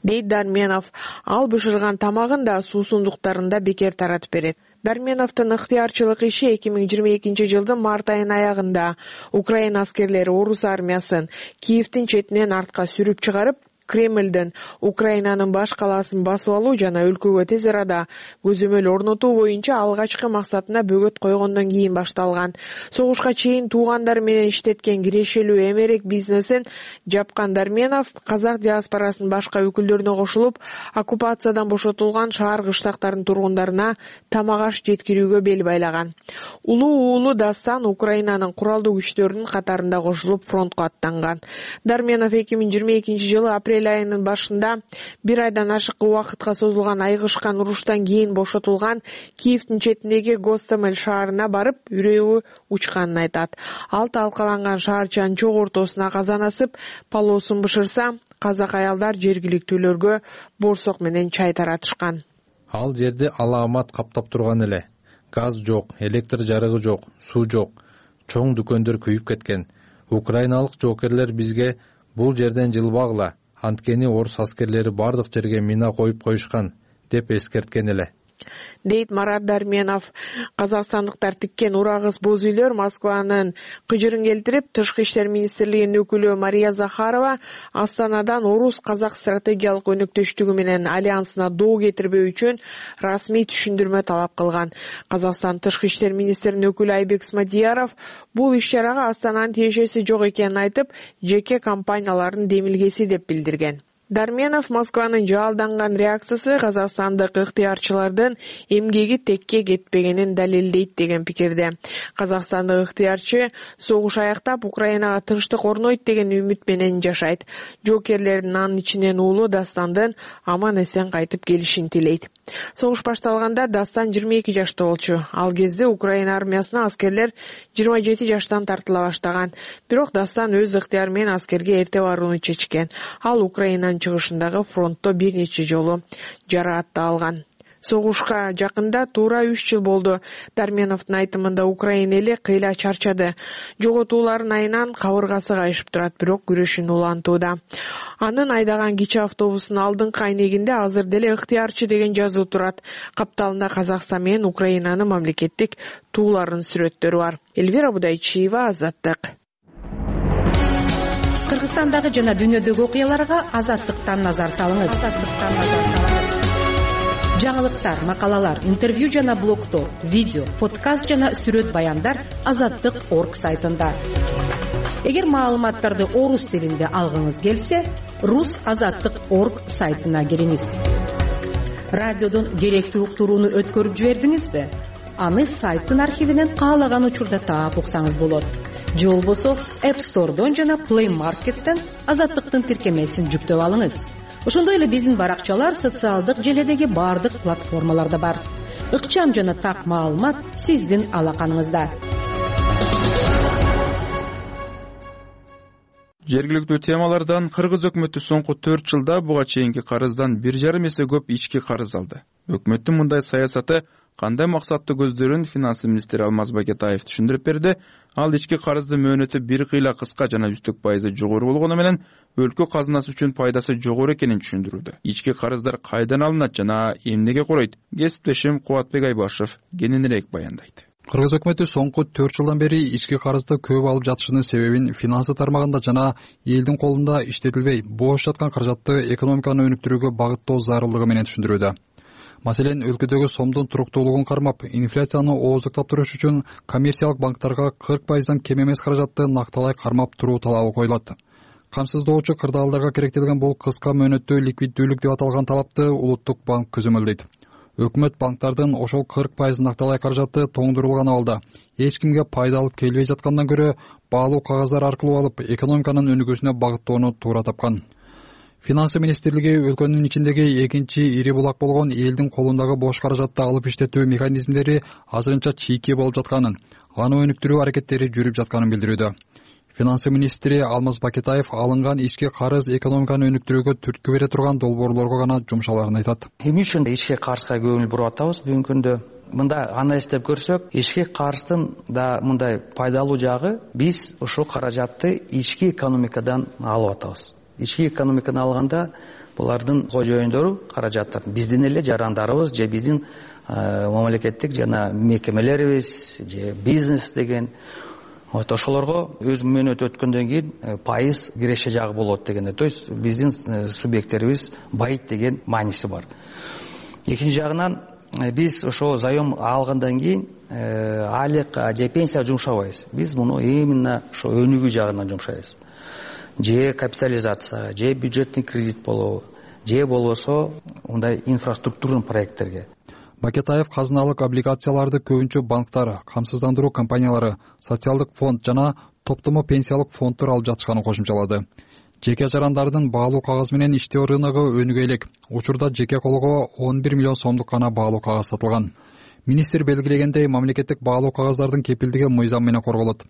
Дейт Дарменов, ал бышырган тамагын да суусундуктарын да бекер таратып берет. Дарменовдун ыктыярчылык иши эки миң жыйырма экинчи жылдын март айынын аягында Украина аскерлери орус армиясын Киевдин четинен артка сүрүп чыгарып, Кремлден Украинанын баш калаасын басып алуу жана өлкөгө тез арада көзөмөл орнотуу боюнча алгачкы максатына бөгөт койгондон кийин башталган. Согушка чейин туугандары менен иштеткен кирешелүү эмерек бизнесин жапкан Дарменов казак диаспорасынын башка өкүлдөрүнө кошулуп, оккупациядан бошотулган шаар кыштактардын тургундарына тамак аш жеткирүүгө бел байлаган. Улуу уулу Дастан Украинанын куралдуу күчтөрүнүн катарында кошулуп фронтко аттанган. Дарменов эки миң жыйырма экинчи жылы апрель айынын башында бир айдан ашык убакытка созулган айгышкан уруштан кийин бошотулган Киевдин четиндеги Гостомель шаарына барып, үрөйү учканын айтат. Ал талкаланган шаарчанын чок ортосуна казан асып, палоосун бышырса, казак аялдар жергиликтүүлөргө борсок менен чай таратышкан. Ал жерде алаамат каптап турган эле. Газ жок, электр жарыгы жок, суу жок. Чоң дүкөндөр күйүп кеткен. Украиналык жоокерлер бизге бул жерден жылбагыла, анткени орус аскерлери бардык жерге мина коюп коюшкан деп эскерткен эле. Дейт Марат Дарменов. Казакстандыктар тиккен урагыз боз үйлөр Москванын кыжырын келтирип, Тышкы иштер министрлигинин өкүлү Мария Захарова Астанадан орус казак стратегиялык өнөктөштүгү менен альянсына доо кетирбөө үчүн расмий түшүндүрмө талап кылган. Казакстан Тышкы иштер министринин өкүлү Айбек Смадияров бул иш-чарага Астананын тиешеси жок экенин айтып, жеке компаниялардын демилгеси деп билдирген. Дарменов Москванын жалданган реакциясы казакстандык ыктыярчылардын эмгеги текке кетпегенин далилдейт деген пикирде. Казакстандык ыктыярчы согуш аяктап Украинага тынчтык орнойт деген үмүт менен жашайт. Жоокерлердин анын ичинен уулу Дастандын аман эсен кайтып келишин тилейт. Согуш башталганда Дастан жыйырма эки жашта болчу. Ал кезде Украина армиясына аскерлер жыйырма жети жаштан тартыла баштаган. Бирок Дастан өз ыктыяры менен аскерге эрте барууну чечкен. Ал Украинанын чыгышындагы фронтто бир нече жолу жараат да алган. Согушка жакында туура үч жыл болду. Дарменовдун айтымында Украина эли кыйла чарчады. Жоготуулардын айынан кабыргасы кайышып турат, бирок күрөшүн улантууда. Анын айдаган кичи автобусунун алдыңкы айнегинде азыр деле ыктыярчы деген жазуу турат. Капталында Казакстан менен Украинанын мамлекеттик тууларынын сүрөттөрү бар. Эльвира Будайчиева, Азаттык. Кыргызстандагы жана дүйнөдөгү окуяларга Азаттыктан назар салыңыз. Азаттыктан назар салыңыз. Жаңылыктар, макалалар, интервью жана блогдор, видео, подкаст жана сүрөт баяндар азаттык точка орг сайтында. Эгер маалыматтарды орус тилинде алгыңыз келсе, рус азаттык точка орг сайтына кириңиз. Радиодон керектүү уктурууну өткөрүп жибердиңизби? Аны сайттын архивинен каалаган учурда таап уксаңыз болот. Же болбосо App Store'дон жана Play Market'тен Азаттыктын тиркемесин жүктөп алыңыз. Ошондой эле биздин баракчалар социалдык желедеги бардык платформаларда бар. Ыкчам жана так маалымат сиздин алаканыңызда. Жергиликтүү темалардан Кыргыз өкмөтү соңку төрт жылда буга чейинки карыздан бир жарым эсе көп ички карыз алды. Өкмөттүн мындай саясаты кандай максатты көздөрүн финанс министри Алмаз Бакетаев түшүндүрүп берди. Ал ички карыздын мөөнөтү бир кыйла кыска жана үстүк пайызы жогору болгону менен өлкө казынасы үчүн пайдасы жогору экенин түшүндүрүүдө. Ички карыздар кайдан алынат жана эмнеге коройт? Кесиптешим Кубатбек Айбашев кененирээк баяндайт. Кыргыз өкмөтү соңку төрт жылдан бери ички карызды көп алып жатышынын себебин финансы тармагында жана элдин колунда иштетилбей бош жаткан каражатты экономиканы өнүктүрүүгө багыттоо зарылдыгы менен түшүндүрүүдө. Маселен, өлкөдөгү сомдун туруктуулугун кармап, инфляцияны ооздуктап туруш үчүн коммерциялык банктарга кырк пайыздан кем эмес каражатты накталай кармап туруу талабы коюлат. Камсыздоочу кырдаалдарга керектелген бул кыска мөөнөттүү ликвиддүүлүк деп аталган талапты Улуттук банк көзөмөлдөйт. Өкмөт банктардын ошол кырк пайыз накталай каражатты тоңдурулган абалда эч кимге пайда алып келбей жаткандан көрө баалуу кагаздар аркылуу алып экономиканын өнүгүүсүнө багыттоону туура тапкан. Финансы министрлиги өлкөнүн ичиндеги экинчи ири булак болгон элдин колундагы бош каражатты алып иштетүү механизмдери азырынча чийки болуп жатканын, аны өнүктүрүү аракеттери жүрүп жатканын билдирүүдө. Финансы министри Алмаз Бакетаев алынган ички карыз экономиканы өнүктүрүүгө түрткү бере турган долбоорлорго гана жумшаларын айтат. Эмне үчүн ички карызга көңүл буруп атабыз бүгүнкү күндө? Мында анализдеп көрсөк, ички карыздын да мындай пайдалуу жагы, биз ушул каражатты ички экономикадан алып атабыз. Ички экономиканы алганда булардын кожоюндору каражаттарын биздин эле жарандарыбыз же биздин мамлекеттик жана мекемелерибиз же бизнес деген вот ошолорго өз мөөнөтү өткөндөн кийин пайыз киреше жагы болот дегенде, то есть биздин субъекттерибиз байыйт деген мааниси бар. Экинчи жагынан биз ошо заем алгандан кийин айлык же пенсия жумшабайбыз. Биз муну именно ошо өнүгүү жагына жумшайбыз. Же капитализация, же бюджетный кредит болобу, же болбосо мындай инфраструктурный проекттерге. Бакетаев казыналык облигацияларды көбүнчө банктар, камсыздандыруу компаниялары, социалдык фонд жана топтомо пенсиялык фонддор алып жатышканын кошумчалады. Жеке жарандардын баалуу кагаз менен иштөө рыногу өнүгө элек. Учурда жеке колго он бир миллион сомдук гана баалуу кагаз сатылган. Министр белгилегендей, мамлекеттик баалуу кагаздардын кепилдиги мыйзам менен корголот.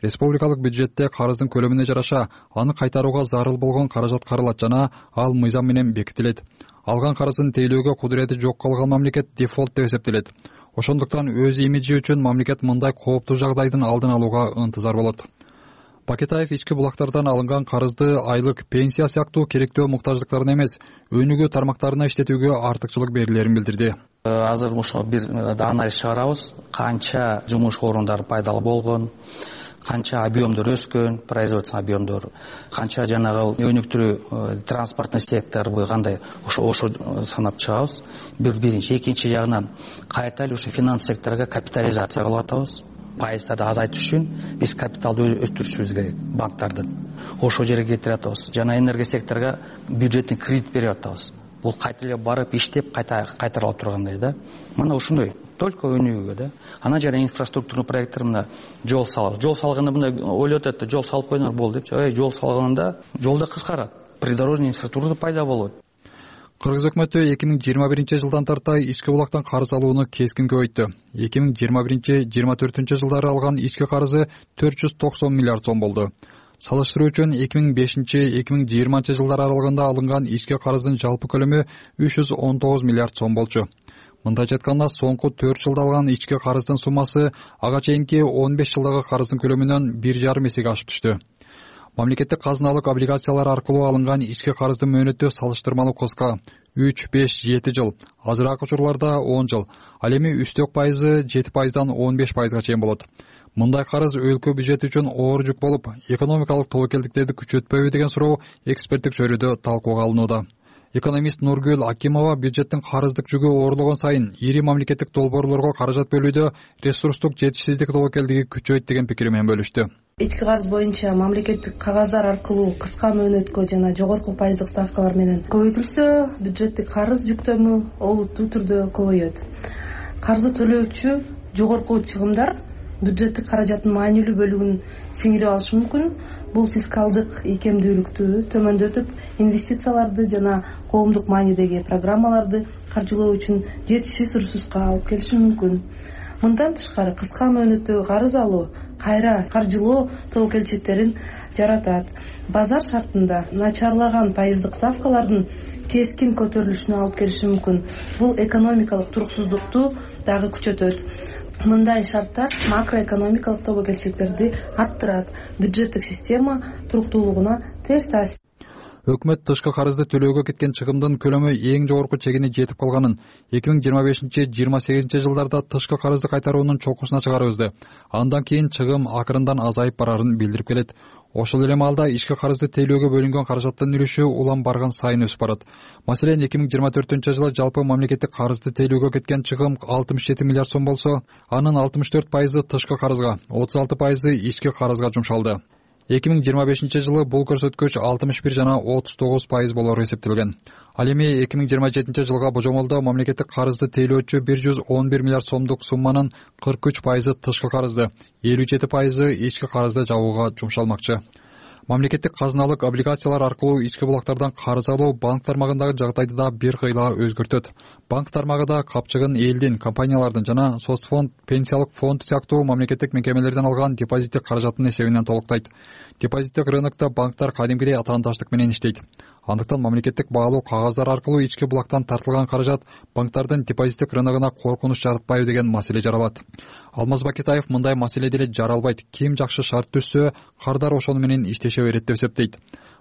Республикалык бюджетте карыздын көлөмүнө жараша аны кайтарууга зарыл болгон каражат каралат жана ал мыйзам менен бекитилет. Алган карызын тейлөөгө кудурети жок калган мамлекет дефолт деп эсептелет. Ошондуктан өз имиджи үчүн мамлекет мындай кооптуу жагдайдын алдын алууга ынтызар болот. Бакетаев ички булактардан алынган карызды айлык, пенсия сыяктуу керектөө муктаждыктарына эмес, өнүгүү тармактарына иштетүүгө артыкчылык берилерин билдирди. Азыр ошо бир анализ чыгарабыз, канча жумуш орундары пайдалуу болгон, канча объемдор өскөн, производственный объемдор, канча жанагы өнүктүрүү транспортный сектору кандай, ошо ошо санап чыгабыз. Бир биринчи, экинчи жагынан кайта эле ушу финанс секторуга капитализация кылып атабыз. Пайыздарды азайтыш үчүн биз капиталды өстүрүшүбүз керек банктардын. Ошол жерге кетирип атабыз. Жана энергия секторуга бюджеттик кредит берип атабыз. Бул кайта эле барып иштеп кайта кайтарылып тургандай да. Мына ушундай только өнүгүүгө да. Анан жана инфраструктурный проекттер, мына жол салабыз. Жол салганда мындай ойлоп атат, жол салып койдуңар болду депчи. Ой, жол салганда жолда кыскарат, придорожный инфраструктура пайда болот. Кыргыз өкмөтү эки миң жыйырма биринчи жылдан тартай ички булактан карыз алууну кескин көбөйттү. эки миң жыйырма биринчи жыйырма төртүнчү жылдары алган ички карызы төрт жүз токсон миллиард сом болду. Салыштыруу үчүн эки миң бешинчи эки миң жыйырманчы жылдар аралыгында алынган ички карыздын жалпы көлөмү үч жүз он тогуз миллиард сом болчу. Мындайча айтканда, соңку төрт жылда алган ички карыздын суммасы ага чейинки он беш жылдагы карыздын көлөмүнөн бир жарым эсеге ашып түштү. Мамлекеттик казыналык облигациялар аркылуу алынган ички карыздын мөөнөтү салыштырмалуу кыска үч, беш, жети жыл, азыраак учурларда он жыл, ал эми үстөк пайызы жети пайыздан он беш пайызга чейин болот. Мындай карыз өлкө бюджети үчүн оор жүк болуп, экономикалык тобокелдиктерди күчөтпөйбү деген суроо эксперттик чөйрөдө талкууга алынууда. Экономист Нургүл Акимова бюджеттин карыздык жүгү оорлогон сайын ири мамлекеттик долбоорлорго каражат бөлүүдө ресурстук жетишсиздик тобокелдиги күчөйт деген пикири менен бөлүштү. Ички карыз боюнча мамлекеттик кагаздар аркылуу кыска мөөнөткө жана жогорку пайыздык ставкалар менен көбөйтүлсө, бюджеттик карыз жүктөмү олуттуу түрдө көбөйөт. Карызды төлөөчү жогорку чыгымдар бюджеттик каражаттын маанилүү бөлүгүн сиңирип алышы мүмкүн. Бул фискалдык ийкемдүүлүктү төмөндөтүп, инвестицияларды жана коомдук маанидеги программаларды каржылоо үчүн жетишсиз ресурска алып келиши мүмкүн. Мындан тышкары кыска мөөнөттөгү карыз алуу кайра каржылоо тобокелчиликтерин жаратат. Базар шартында начарлаган пайыздык ставкалардын кескин көтөрүлүшүнө алып келиши мүмкүн. Бул экономикалык туруксуздукту дагы күчөтөт. Мындай шарттар макроэкономикалык тобокелчиликтерди арттырат, бюджеттик система туруктуулугуна терс таасир. Өкмөт тышкы карызды төлөөгө кеткен чыгымдын көлөмү эң жогорку чегине жетип калганын, эки миң жыйырма бешинчи жыйырма сегизинчи жылдарда тышкы карызды кайтаруунун чокусуна чыгарыбызды. Андан кийин чыгым акырындан азайып барарын билдирип келет. Ошол эле маалда ички карызды тейлөөгө бөлүнгөн каражаттын үлүшү улам барган сайын өсүп барат. Маселен, эки миң жыйырма төртүнчү жылы жалпы мамлекеттик карызды тейлөөгө кеткен чыгым алтымыш жети миллиард сом болсо, анын алтымыш төрт пайызы тышкы карызга, отуз алты пайызы ички карызга жумшалды. эки миң жыйырма бешинчи жылы бул көрсөткүч алтымыш бир жана отуз тогуз пайыз болору эсептелген. Ал эми эки миң жыйырма жетинчи жылга божомолдо мамлекеттик карызды тейлөөчү бир жүз он бир миллиард сомдук сумманын кырк үч пайызы тышкы карызды, элүү жети пайызы ички карызды жабууга жумшалмакчы. Мамлекеттик казыналык облигациялар аркылуу ички булактардан карыз алуу банк тармагындагы жагдайды да бир кыйла өзгөртөт. Банк тармагы да капчыгын элдин, компаниялардын жана соцфонд, пенсиялык фонд сыяктуу мамлекеттик мекемелерден алган депозиттик каражаттын эсебинен толуктайт. Депозиттик рынокто банктар кадимгидей атаандаштык менен иштейт. Андыктан мамлекеттик баалуу кагаздар аркылуу ички булактан тартылган каражат банктардын депозиттик рыногуна коркунуч жаратпайбы деген маселе жаралат. Алмаз Бакетаев мындай маселе деле жаралбайт. Ким жакшы шарт түзсө, кардар ошону менен иштеше берет деп эсептейт.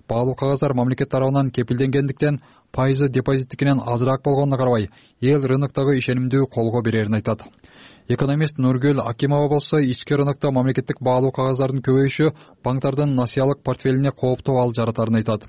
Баалуу кагаздар мамлекет тарабынан кепилденгендиктен пайызы депозиттикинен азыраак болгонуна карабай, эл рыноктогу ишенимдүү колго берерин айтат. Экономист Нургүл Акимова болсо, ички рынокто мамлекеттик баалуу кагаздардын көбөйүшү банктардын насыялык портфелине кооптуу ал жаратарын айтат.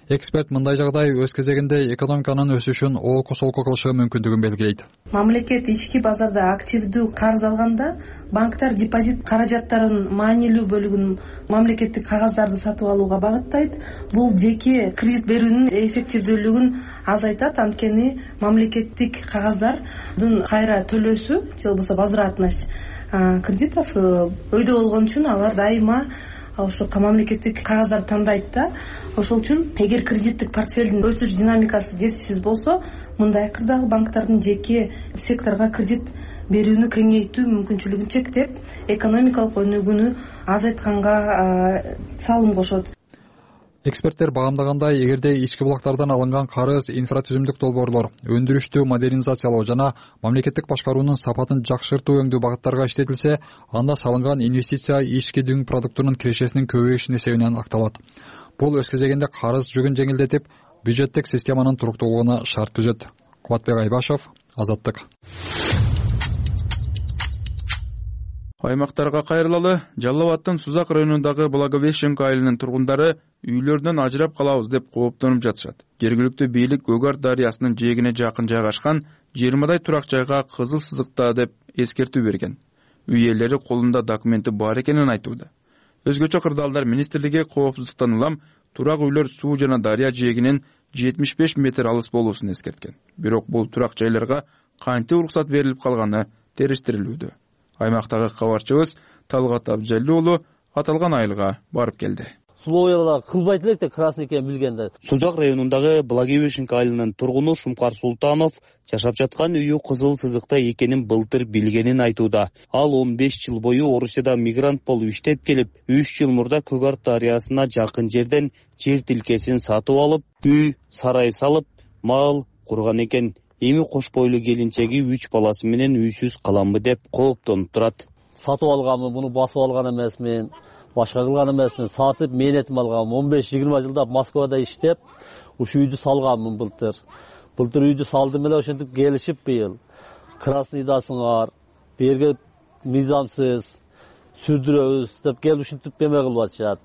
Эксперт мындай жагдай өз кезегинде экономиканын өсүшүн олку солку кылышы мүмкүндүгүн белгилейт. Мамлекет ички базарда активдүү карыз алганда, банктар депозит каражаттарынын маанилүү бөлүгүн мамлекеттик кагаздарды сатып алууга багыттайт. Бул жеке кредит берүүнүн эффективдүүлүгүн азайтат, анткени мамлекеттик кагаздардын кайра төлөөсү же болбосо возвратность кредитов өйдө болгон үчүн алар дайыма ошо мамлекеттик кагаздарды тандайт да. Ошол үчүн эгер кредиттик портфелдин өсүш динамикасы жетишсиз болсо, мындай кырдагы банктардын жеке секторго кредит берүүнү кеңейтүү мүмкүнчүлүгүн чектеп, экономикалык өнүгүүнү азайтканга салым кошот. Эксперттер багамдагандай, эгерде ички булактардан алынган карыз инфратүзүмдүк долбоорлор, өндүрүштү модернизациялоо жана мамлекеттик башкаруунун сапатын жакшыртуу өңдүү багыттарга иштетилсе, анда салынган инвестиция ички дүң продуктунун кирешесинин көбөйүшүнүн эсебинен акталат. Бул өз кезегинде карыз жүгүн жеңилдетип, бюджеттик системанын туруктуулугуна шарт түзөт. Кубатбек Айбашев, Азаттык. Аймактарга кайрылалы. Жалал Абадтын Сузак районундагы Благовещенко айылынын тургундары үйлөрүнөн ажырап калабыз деп кооптонуп жатышат. Жергиликтүү бийлик Гөгөр дарыясынын жээгине жакын жайгашкан жыйырмадай турак жайга кызыл сызыкта деп эскертүү берген. Үй ээлери колунда документи бар экенин айтууда. Өзгөчө кырдаалдар министрлиги коопсуздуктан улам турак үйлөр суу жана дарыя жээгинен жетимиш беш метр алыс болуусун эскерткен. Бирок бул турак жайларга кантип уруксат берилип калганы териштирилүүдө. Аймактагы кабарчыбыз Талгат Абжалли уулу аталган айылга барып келди. Условиялар кылбайт элек да красный экенин билгенде. Сузак районундагы Благовещенко айылынын тургуну Шумкар Султанов жашап жаткан үйү кызыл сызыкта экенин былтыр билгенин айтууда. Ал он беш жыл бою Орусияда мигрант болуп иштеп келип, үч жыл мурда Көгөр дарыясына жакын жерден жер тилкесин сатып алып, үй, сарай салып, мал курган экен. Эми кош бойлуу келинчеги үч баласы менен үйсүз каламбы деп кооптонуп турат. Сатып алганмын, буну басып алган эмесмин. Башка кылган эмесмин, сатып менетим алганмын. он беш жыйырма жылда Москвада иштеп, ушу үйдү салганмын былтыр. Былтыр үйдү салдым эле, ошентип келишип быйыл. Красный дасыңар, берге мыйзамсыз сүрдүрөбүз деп келип ушинтип эме кылып атышат.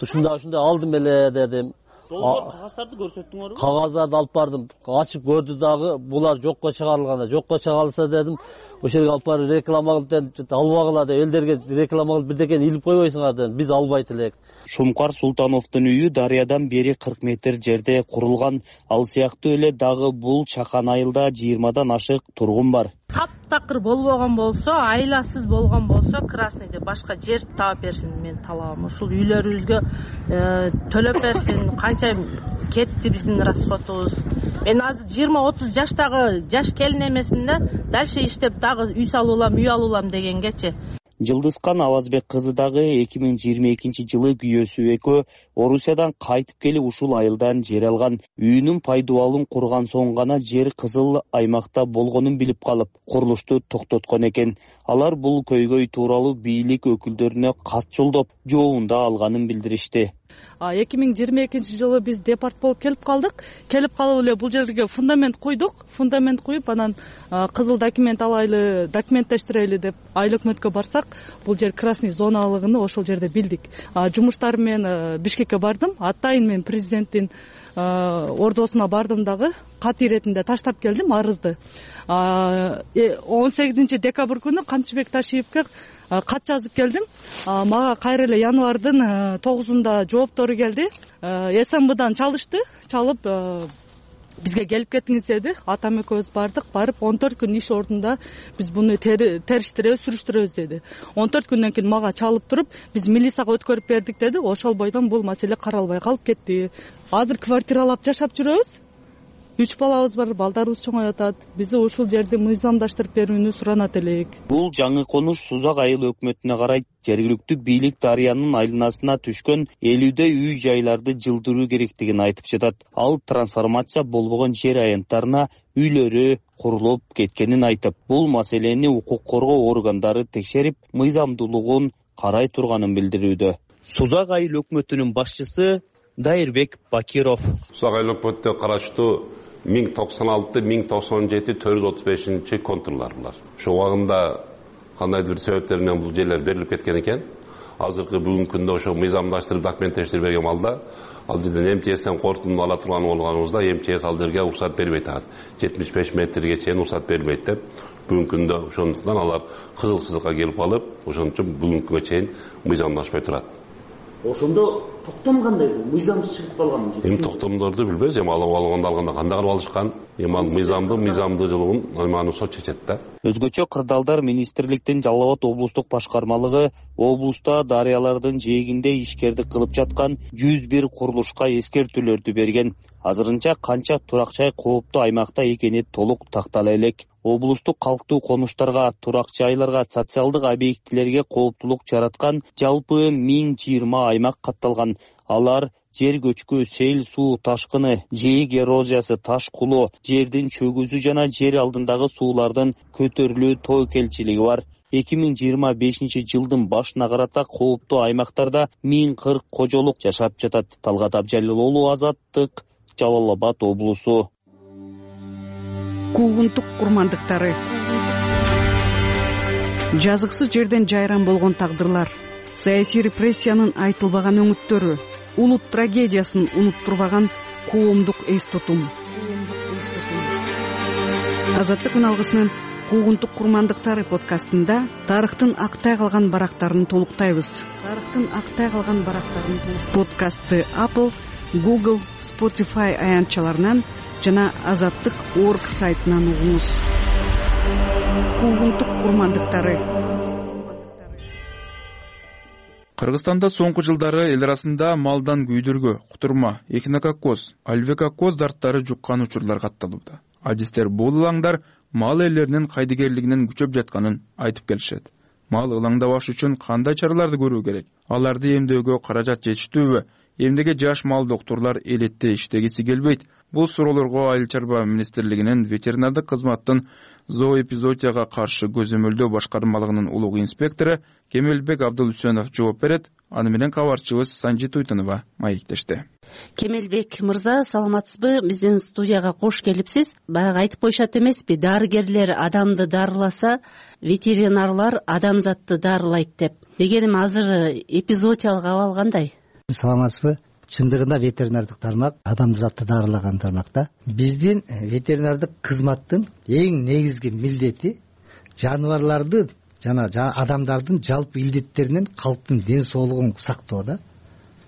Ушундай ушундай алдым эле дедим. Кагаздарды көрсөттүңөрбү? Кагаздарды алып бардым. Ачып көрдү дагы, булар жокко чыгарылганда, жокко чыгарылса дедим. Ошол жерге алып барып реклама кылып, албагыла деп, элдерге реклама кылып бирдекени илип койбойсуңар дедим. Биз албайт элек. Шумкар Султановдун үйү дарыядан бери кырк метр жерде курулган. Ал сыяктуу эле дагы бул чакан айылда жыйырмадан ашык тургун бар. Таптар такыр болбогон болсо, айласыз болгон болсо, красныйды башка жер таап берсин, мен талабым ушул үйлөрүбүзгө төлөп берсин. Канча кетти биздин расходубуз. Мен азыр жыйырма отуз жаштагы жаш келин эмесмин да, дальше иштеп дагы үй салуулам, үй алуулам дегенгечи. Жылдызкан Авазбек кызы дагы эки миң жыйырма экинчи жылы күйөөсү экөө Орусиядан кайтып келип ушул айылдан жер алган. Үйүнүн пайдубалын курган соң гана жер кызыл аймакта болгонун билип калып, курулушту токтоткон экен. Алар бул көйгөй тууралуу бийлик өкүлдөрүнө кат жолдоп, жообунда алганын билдиришти. эки миң жыйырма экинчи жылы биз департ болуп келип калдык. Келип калып эле бул жерге фундамент куйдук. Фундамент куюп, анан кызыл документ алайлы, документтештирели деп айыл өкмөткө барсак, бул жер красный зоналыгын ошол жерде билдик. Жумуштар менен Бишкекке бардым. Атайын мен президенттин ордосуна бардым дагы, кат иретинде таштап келдим арызды. он сегизинчи декабрь күнү Камчыбек Ташиевке кат жазып келдим. Мага кайра эле январдын тогузунда жооптору келди. СМБдан чалышты, чалып бизге келип кетиңиз деди. Атам экөөбүз бардык, барып он төрт күн иш ордунда биз буну териштиребиз, сүрүштүрөбүз деди. он төрт күндөн кийин мага чалып туруп, биз милицияга өткөрүп бердик деди. Ошол бойдон бул маселе каралбай калып кетти. Азыр квартиралап жашап жүрөбүз. Үч балабыз бар, балдарыбыз чоңоюп атат. Бизди ушул жерди мыйзамдаштырып берүүнү суранат элек. Бул жаңы конуш Сузак айыл өкмөтүнө карайт. Жергиликтүү бийлик дарыянын айланасына түшкөн элүүдөй үй жайларды жылдыруу керектигин айтып жатат. Ал трансформация болбогон жер аянттарына үйлөрү курулуп кеткенин айтып, бул маселени укук коргоо органдары текшерип, мыйзамдуулугун карай турганын билдирүүдө. Сузак айыл өкмөтүнүн башчысы Дайырбек Бакиров. Сузак айыл өкмөтүнө караштуу миң токсон алты миң токсон жети төрт жүз отуз бешинчи контурлар булар. Ошол убагында кандайдыр бир себептер менен бул жерлер берилип кеткен экен. Азыркы бүгүнкү күндө ошо мыйзамдаштырып документтештирип берген балда ал жерден МЧСтен кортунду ала турган болгонубузда МЧС ал жерге уруксат бербейт. жетимиш беш метрге чейин уруксат берилбейт деп бүгүнкү күндө ошондуктан алар кызыл сызыкка келип калып, ошон үчүн бүгүнкү күнгө чейин мыйзамдашпай турат. Ошондо токтом кандай бул? Мыйзамсыз чыгып калган. Эми токтомдорду билбейбиз, эми алып алганда алганда кандай кылып алышкан, эми ал мыйзамды, мыйзамдуулугун аймагын сот чечет да. Өзгөчө кырдаалдар министрликтин Жалал Абад облустук башкармалыгы облуста дарыялардын жээгинде ишкердик кылып жаткан жүз бир курулушка эскертүүлөрдү берген. Азырынча канча турак жай кооптуу аймакта экени толук тактала элек. Облустук калктуу конуштарга, турак жайларга, социалдык объектилерге кооптулук жараткан жалпы миң жыйырма аймак катталган. Алар жер көчкү, сел суу ташкыны, жээк эрозиясы, таш кулоо, жердин чөгүүсү жана жер алдындагы суулардын көтөрүлүү тобокелчилиги бар. эки миң жыйырма бешинчи жылдын башына карата кооптуу аймактарда миң кырк кожолук жашап жатат. Талгат Абжалил уулу, Азаттык, Жалал Абад облусу. Куугунтук курмандыктары. Жазыксыз жерден жайран болгон тагдырлар, саясий репрессиянын айтылбаган өңүттөрү, улут трагедиясын унуттурбаган коомдук эс тутум. Азаттык үналгысынын Куугунтук курмандыктары подкастында тарыхтын актай калган барактарын толуктайбыз. Тарыхтын актай калган барактарын подкастты Apple, Google, Spotify аянтчаларынан жана азаттык точка орг сайтынан угуңуз. Куугунтук курмандыктары. Кыргызстанда соңку жылдары эл арасында малдан күйдүргө, кутурма, эхинококкоз, альвекоккоз дарттары жуккан учурлар катталууда. Адистер бул ылаңдар мал ээлеринин кайдыгерлигинин күчөп жатканын айтып келишет. Мал ылаңдабаш үчүн кандай чараларды көрүү керек? Аларды эмдөөгө каражат жетиштүүбү? Эмнеге жаш мал доктурлар элетте иштегиси келбейт? Бул суроолорго Айыл чарба министрлигинин ветеринардык кызматтын зооэпизоотияга каршы көзөмөлдөө башкармалыгынын улуг инспектору Кемелбек Абдулүсөнов жооп берет. Аны менен кабарчыбыз Санжи Туйтунова маектешти. Кемелбек мырза, саламатсызбы? Биздин студияга кош келипсиз. Баягы айтып коюшат эмеспи, дарыгерлер адамды дарыласа, ветеринарлар адамзатты дарылайт деп. Дегеним азыр эпизоотиялык абал кандай? Саламатсызбы? Чындыгында ветеринардык тармак адамзатты дарылаган тармак да. Биздин ветеринардык кызматтын эң негизги милдети жаныбарларды жана адамдардын жалпы илдеттеринен калктын ден соолугун сактоо да.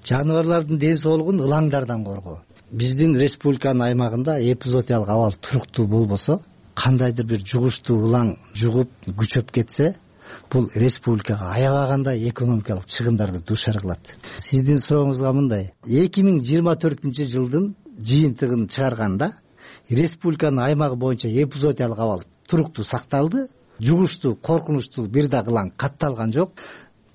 Жаныбарлардын ден соолугун ылаңдардан коргоо. Биздин республиканын аймагында эпизоотиялык абал туруктуу болбосо, кандайдыр бир жугуштуу ылаң жугуп күчөп кетсе, бул республикага аябагандай экономикалык чыгымдарды дуушар кылат. Сиздин сурооңузга мындай: эки миң жыйырма төртүнчү жылдын жыйынтыгын чыгарганда республиканын аймагы боюнча эпизодиялык абал туруктуу сакталды, жугуштуу, коркунучтуу бир дагы ылаң катталган жок.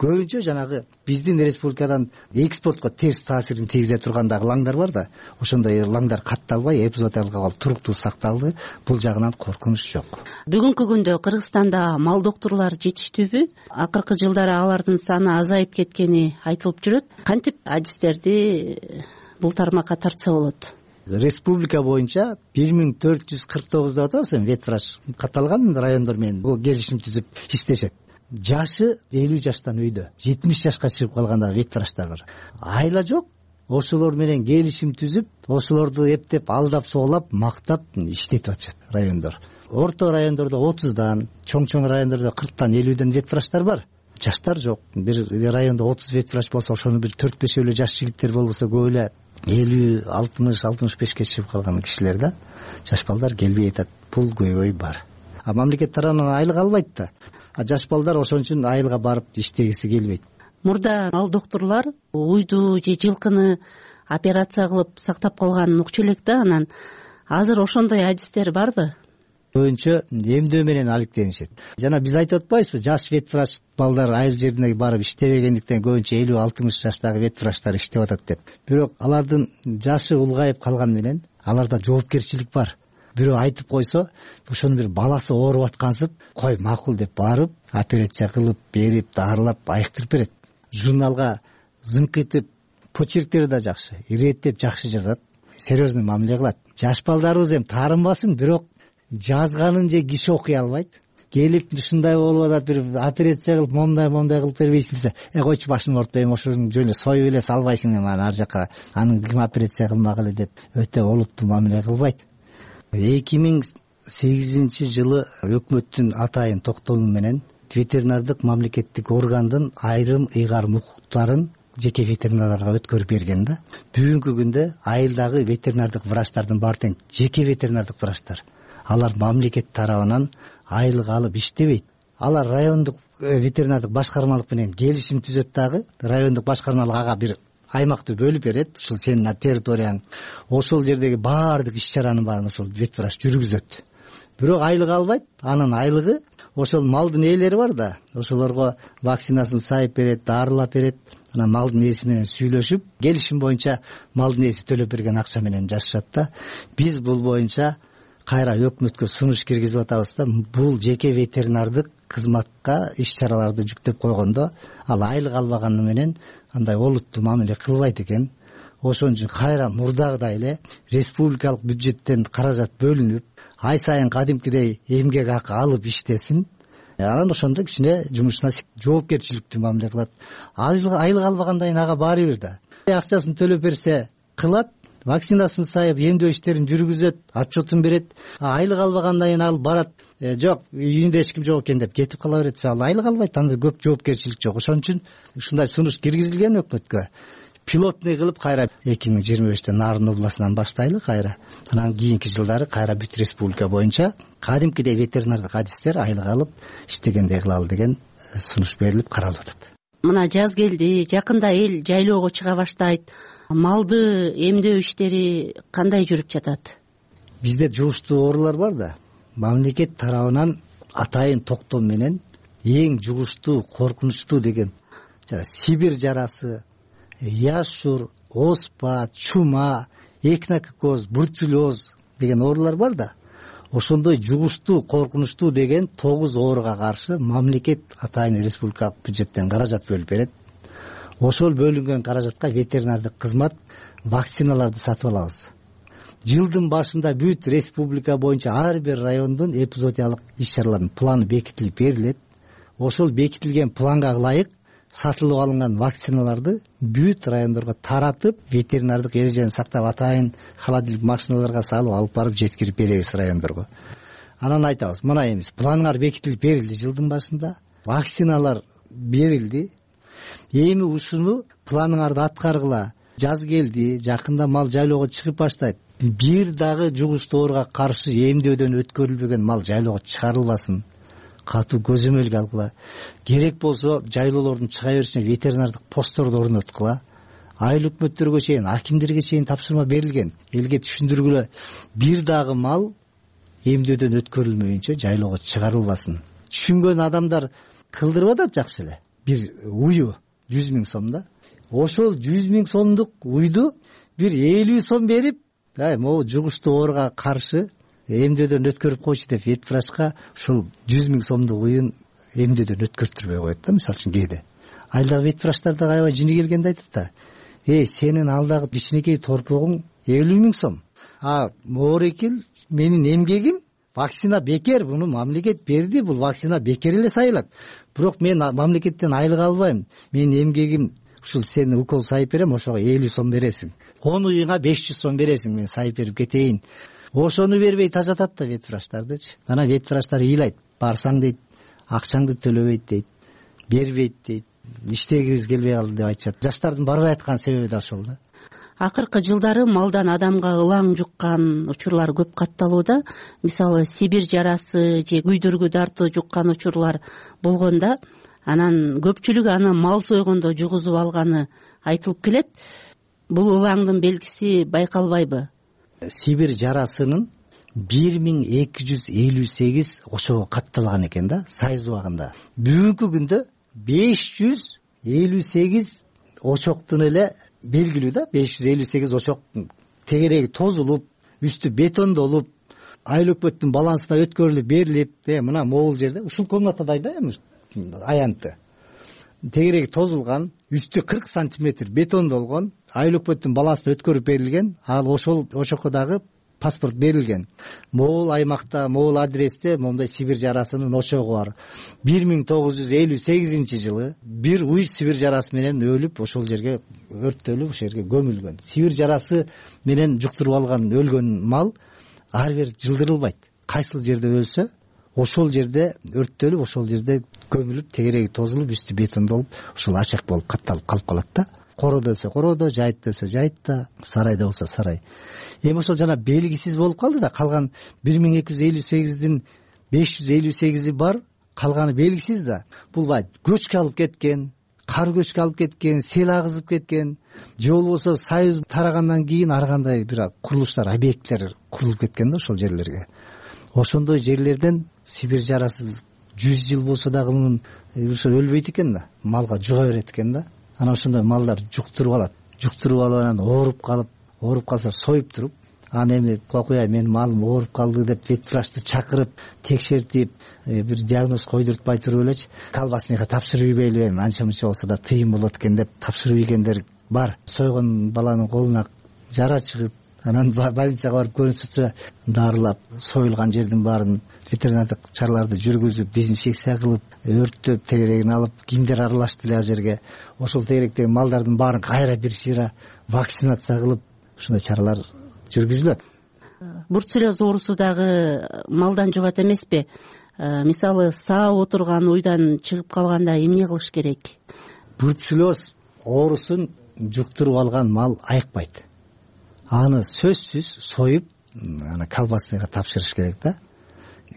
Көбүнчө жанагы биздин республикадан экспортко терс таасирин тийгизе турган дагы ылаңдар бар да, ошондой ылаңдар катталбай, эпизодиялык абал туруктуу сакталды. Бул жагынан коркунуч жок. Бүгүнкү күндө Кыргызстанда мал доктурлар жетиштүүбү? Акыркы жылдары алардын саны азайып кеткени айтылып жүрөт. Кантип адистерди бул тармакка тартса болот? Республика боюнча бир миң төрт жүз кырк тогуз деп атабыз, ветврач катталган райондор менен бул келишим түзүп иштешет. Жашы элүү жаштан өйдө, жетимиш жашка чыгып калганда ветврачтар бар. Айла жок, ошолор менен келишим түзүп, ошолорду эптеп, алдап, соолап, мактап иштетип атышат райондор. Орто райондордо отуздан, чоң-чоң райондордо кырктан, элүүдөн ветврачтар бар. Жаштар жок. Бир райондо отуз ветврач болсо, ошону бир төрт беш эле жаш жигиттер болбосо, көп эле элүү, алтымыш, алтымыш бешке чыгып калган кишилер да. Жаш балдар келбей атат. Бул көйгөй бар. А мамлекет тарабынан айлык албайт да. А жаш балдар ошон үчүн айылга барып иштегиси келбейт. Мурда мал доктурлар уйду же жылкыны операция кылып сактап калганын укчу элек да, анан азыр ошондой адистер барбы? Көбүнчө эмдөө менен алектенишет. Жана биз айтып атпайбызбы, жаш ветврач балдар айыл жерине барып иштебегендиктен көбүнчө элүү алтымыш жаштагы ветврачтар иштеп атат деп. Бирок алардын жашы улгайып калган менен аларда жоопкерчилик бар. Бирөө айтып койсо, ошонун бир баласы ооруп аткансып, кой макул деп барып, операция кылып, берип, дарылап, айыктырып берет. Журналга зымкытып, почерктери да жакшы, иреттеп жакшы жазат, серьезный мамиле кылат. Жаш балдарыбыз эми таарынбасын, бирок жазганын же киши окуй албайт. Келип ушундай болуп атат, бир операция кылып, момундай момундай кылып бербейсиңби? Э койчу, башымды ортпойм, ошону жөн эле союп эле салбайсың деп ар жака, анын ким операция кылмагыла деп өтө олуттуу мамиле кылбайт. эки миң сегизинчи жылы өкмөттүн атайын токтому менен ветеринардык мамлекеттик органдын айрым ыйгарым укуктарын жеке ветеринарларга өткөрүп берген да. Бүгүнкү күндө айылдагы ветеринардык врачтардын баары тең жеке ветеринардык врачтар. Алар мамлекет тарабынан айлык алып иштебейт. Алар райондук ветеринардык башкармалык менен келишим түзөт дагы. Райондук башкармалык ага бир аймакты бөлүп берет, ушул сенин территорияң. Ошол жердеги баардык иш-чаранын баарын ошол ветврач жүргүзөт. Бирок айлык албайт. Анын айлыгы ошол малдын ээлери бар да, ошолорго вакцинасын сайып берет, дарылап берет. Анан малдын ээси менен сүйлөшүп, келишим боюнча малдын ээси төлөп берген акча менен жашашат да. Биз бул боюнча кайра өкмөткө сунуш киргизип атабыз да. Бул жеке ветеринардык кызматка иш-чараларды жүктөп койгондо, ал айлык албаганы менен андай олуттуу мамиле кылбайт экен. Ошон үчүн кайра мурдагыдай эле республикалык бюджеттен каражат бөлүнүп, ай сайын кадимкидей эмгек акы алып иштесин. Анан ошондо кичине жумушуна жоопкерчиликтүү мамиле кылат. Айлык албагандай ага баары бир да. Акчасын төлөп берсе кылат, вакцинасын сайып, эмдөө иштерин жүргүзөт, отчетун берет. Айлык албагандай ал барат, жок, үйүндө эч ким жок экен деп кетип кала берет. Ал айлык албайт, анда көп жоопкерчилик жок. Ошон үчүн ушундай сунуш киргизилген өкмөткө. Пилотный кылып кайра эки миң жыйырма беште Нарын областынан баштайлы кайра. Анан кийинки жылдары кайра бүт республика боюнча кадимкидей ветеринардык адистер айлык алып иштегендей кылалы деген сунуш берилип каралып атат. Мына жаз келди, жакында эл жайлоого чыга баштайт. Малды эмдөө иштери кандай жүрүп жатат? Бизде жугуштуу оорулар бар да. Мамлекет тарабынан атайын токтом менен эң жугуштуу, коркунучтуу деген Сибирь жарасы, яшур, оспа, чума, экнококоз, бурчулоз деген оорулар бар да. Ошондой жугуштуу, коркунучтуу деген тогуз ооруга каршы мамлекет атайын республикалык бюджеттен каражат бөлүп берет. Ошол бөлүнгөн каражатка ветеринардык кызмат вакциналарды сатып алабыз. Жылдын башында бүт республика боюнча ар бир райондун эпизодиялык иш-чараларынын планы бекитилип берилет. Ошол бекитилген планга ылайык сатылып алынган вакциналарды бүт райондорго таратып, ветеринардык эрежени сактап атайын холодильник машиналарга салып алып барып жеткирип беребиз райондорго. Анан айтабыз, мына эмес, планыңар бекитилип берилди жылдын башында, вакциналар берилди. Эми ушуну планыңарды аткаргыла. Жаз келди, жакында мал жайлоого чыгып баштайт. бир дагы жугуштуу ооруга каршы эмдөөдөн өткөрүлбөгөн мал жайлоого чыгарылбасын, катуу көзөмөлгө алгыла. Керек болсо жайлоолордун чыга беришине ветеринардык постторду орноткула. Айыл өкмөттөргө чейин, акимдерге чейин тапшырма берилген. Элге түшүндүргүлө, бир дагы мал эмдөөдөн өткөрүлмөйүнчө жайлоого чыгарылбасын. Түшүнгөн адамдар кылдырып атат жакшы эле. Бир уyu жүз миң сом да. Ошол жүз миң сомдук уйду бир элүү сом берип, могу жугуштуу ооруга каршы эмдөөдөн өткөрүп койчу деп ветврачка ушул жүз миң сомдук уюн эмдөөдөн өткөртүрбөй коет да. Мисалы үчүн кээде айылдагы ветврачтар да аябай жини келгенде айтат да, эй, сенин алдагы кичинекей торпогуң элүү миң сом. А моорекил менин эмгегим вакцина бекер, буну мамлекет берди, бул вакцина бекер эле сайылат. Бирок мен мамлекеттен айлык албайм. Менин эмгегим ушул, сени укол сайып берем, ошого элүү сом бересиң. он уюңа беш жүз сом бересиң, мен сайып берип кетейин. Ошону бербей тажатат да ветврачтардычы. Анан ветврачтар ыйлайт, барсаң дейт, акчаңды төлөбөйт дейт, бербейт дейт, иштегибиз келбей калды деп айтышат. Жаштардын барбай аткан себеби да ошол да. Акыркы жылдары малдан адамга ылаң жуккан учурлар көп катталууда. Мисалы Сибирь жарасы же күйдүргү дартуу жуккан учурлар болгондо, анан көпчүлүк аны мал сойгондо жугузуп алганы айтылып келет. Бул ылаңдын белгиси байкалбайбы? Сибирь жарасынын бир миң эки жүз элүү сегиз ошого катталган экен да, Союз убагында. Бүгүнкү күндө беш жүз элүү сегиз очоктун эле белгилүү да. беш жүз элүү сегиз очок тегереги тозулуп, үстү бетондолуп, айыл өкмөттүн балансына өткөрүлүп берилип, э мына могул жерде ушул комнатадай да, эми аянты. Тегереги тозулган, үстү кырк сантиметр бетондолгон, айыл өкмөттүн балансына өткөрүп берилген. Ал ошол ошокко дагы паспорт берилген. Могул аймакта, могул адресте мондай Сибирь жарасынын очогу бар. бир миң тогуз жүз элүү сегизинчи жылы бир уй Сибирь жарасы менен өлүп, ошол жерге өрттөлүп, ошол жерге көмүлгөн. Сибирь жарасы менен жуктуруп алган өлгөн мал ар бир жылдырылбайт. Кайсыл жерде өлсө, ошол жерде өрттөлүп, ошол жерде көмүлүп, тегереги тозулуп, үстү бетондолуп, ошол ачак болуп катталып калып калат да. Короодо өлсө короодо, жайытта өлсө жайытта, сарайда болсо сарай. Эми ошол жана белгисиз болуп калды да. Калган бир миң эки жүз элүү сегиздин беш жүз элүү сегизи бар, калганы белгисиз да. Бул бай көчкө алып кеткен, кар көчкө алып кеткен, сел агызып кеткен, же болбосо Союз тарагандан кийин ар кандай бир курулуштар, объекттер курулуп кеткен да ошол жерлерге. Ошондой жерлерден Сибирь жарасы жүз жыл болсо дагы мунун өлбөйт экен да, малга жуга берет экен да. Анан ошондой малдар жуктуруп алат. Жуктуруп алып анан ооруп калып, ооруп калса союп туруп, анан эми кокуя менин малым ооруп калды деп ветврачты чакырып, текшертип, бир диагноз койдуртпай туруп элечи колбасника тапшырып ийбейли, эми анча мынча болсо да тыйын болот экен деп тапшырып ийгендер бар. Сойгон баланын колуна жара чыгып, анан больницага барып көрүнсөчө дарылап, союлган жердин баарын ветеринардык чараларды жүргүзүп, дезинфекция кылып, өрттөп, тегерегин алып, кимдер аралашты эле ал жерге. Ошол тегеректеги малдардын баарын кайра бир сыйра вакцинация кылып, ушундай чаралар жүргүзүлөт. Бруцеллез оорусу дагы малдан жугат эмеспи? Мисалы, саап отурган уйдан чыгып калганда эмне кылыш керек? Бруцеллез оорусун жуктуруп алган мал айыкпайт. Аны сөзсүз союп, аны колбасныйга тапшырыш керек да.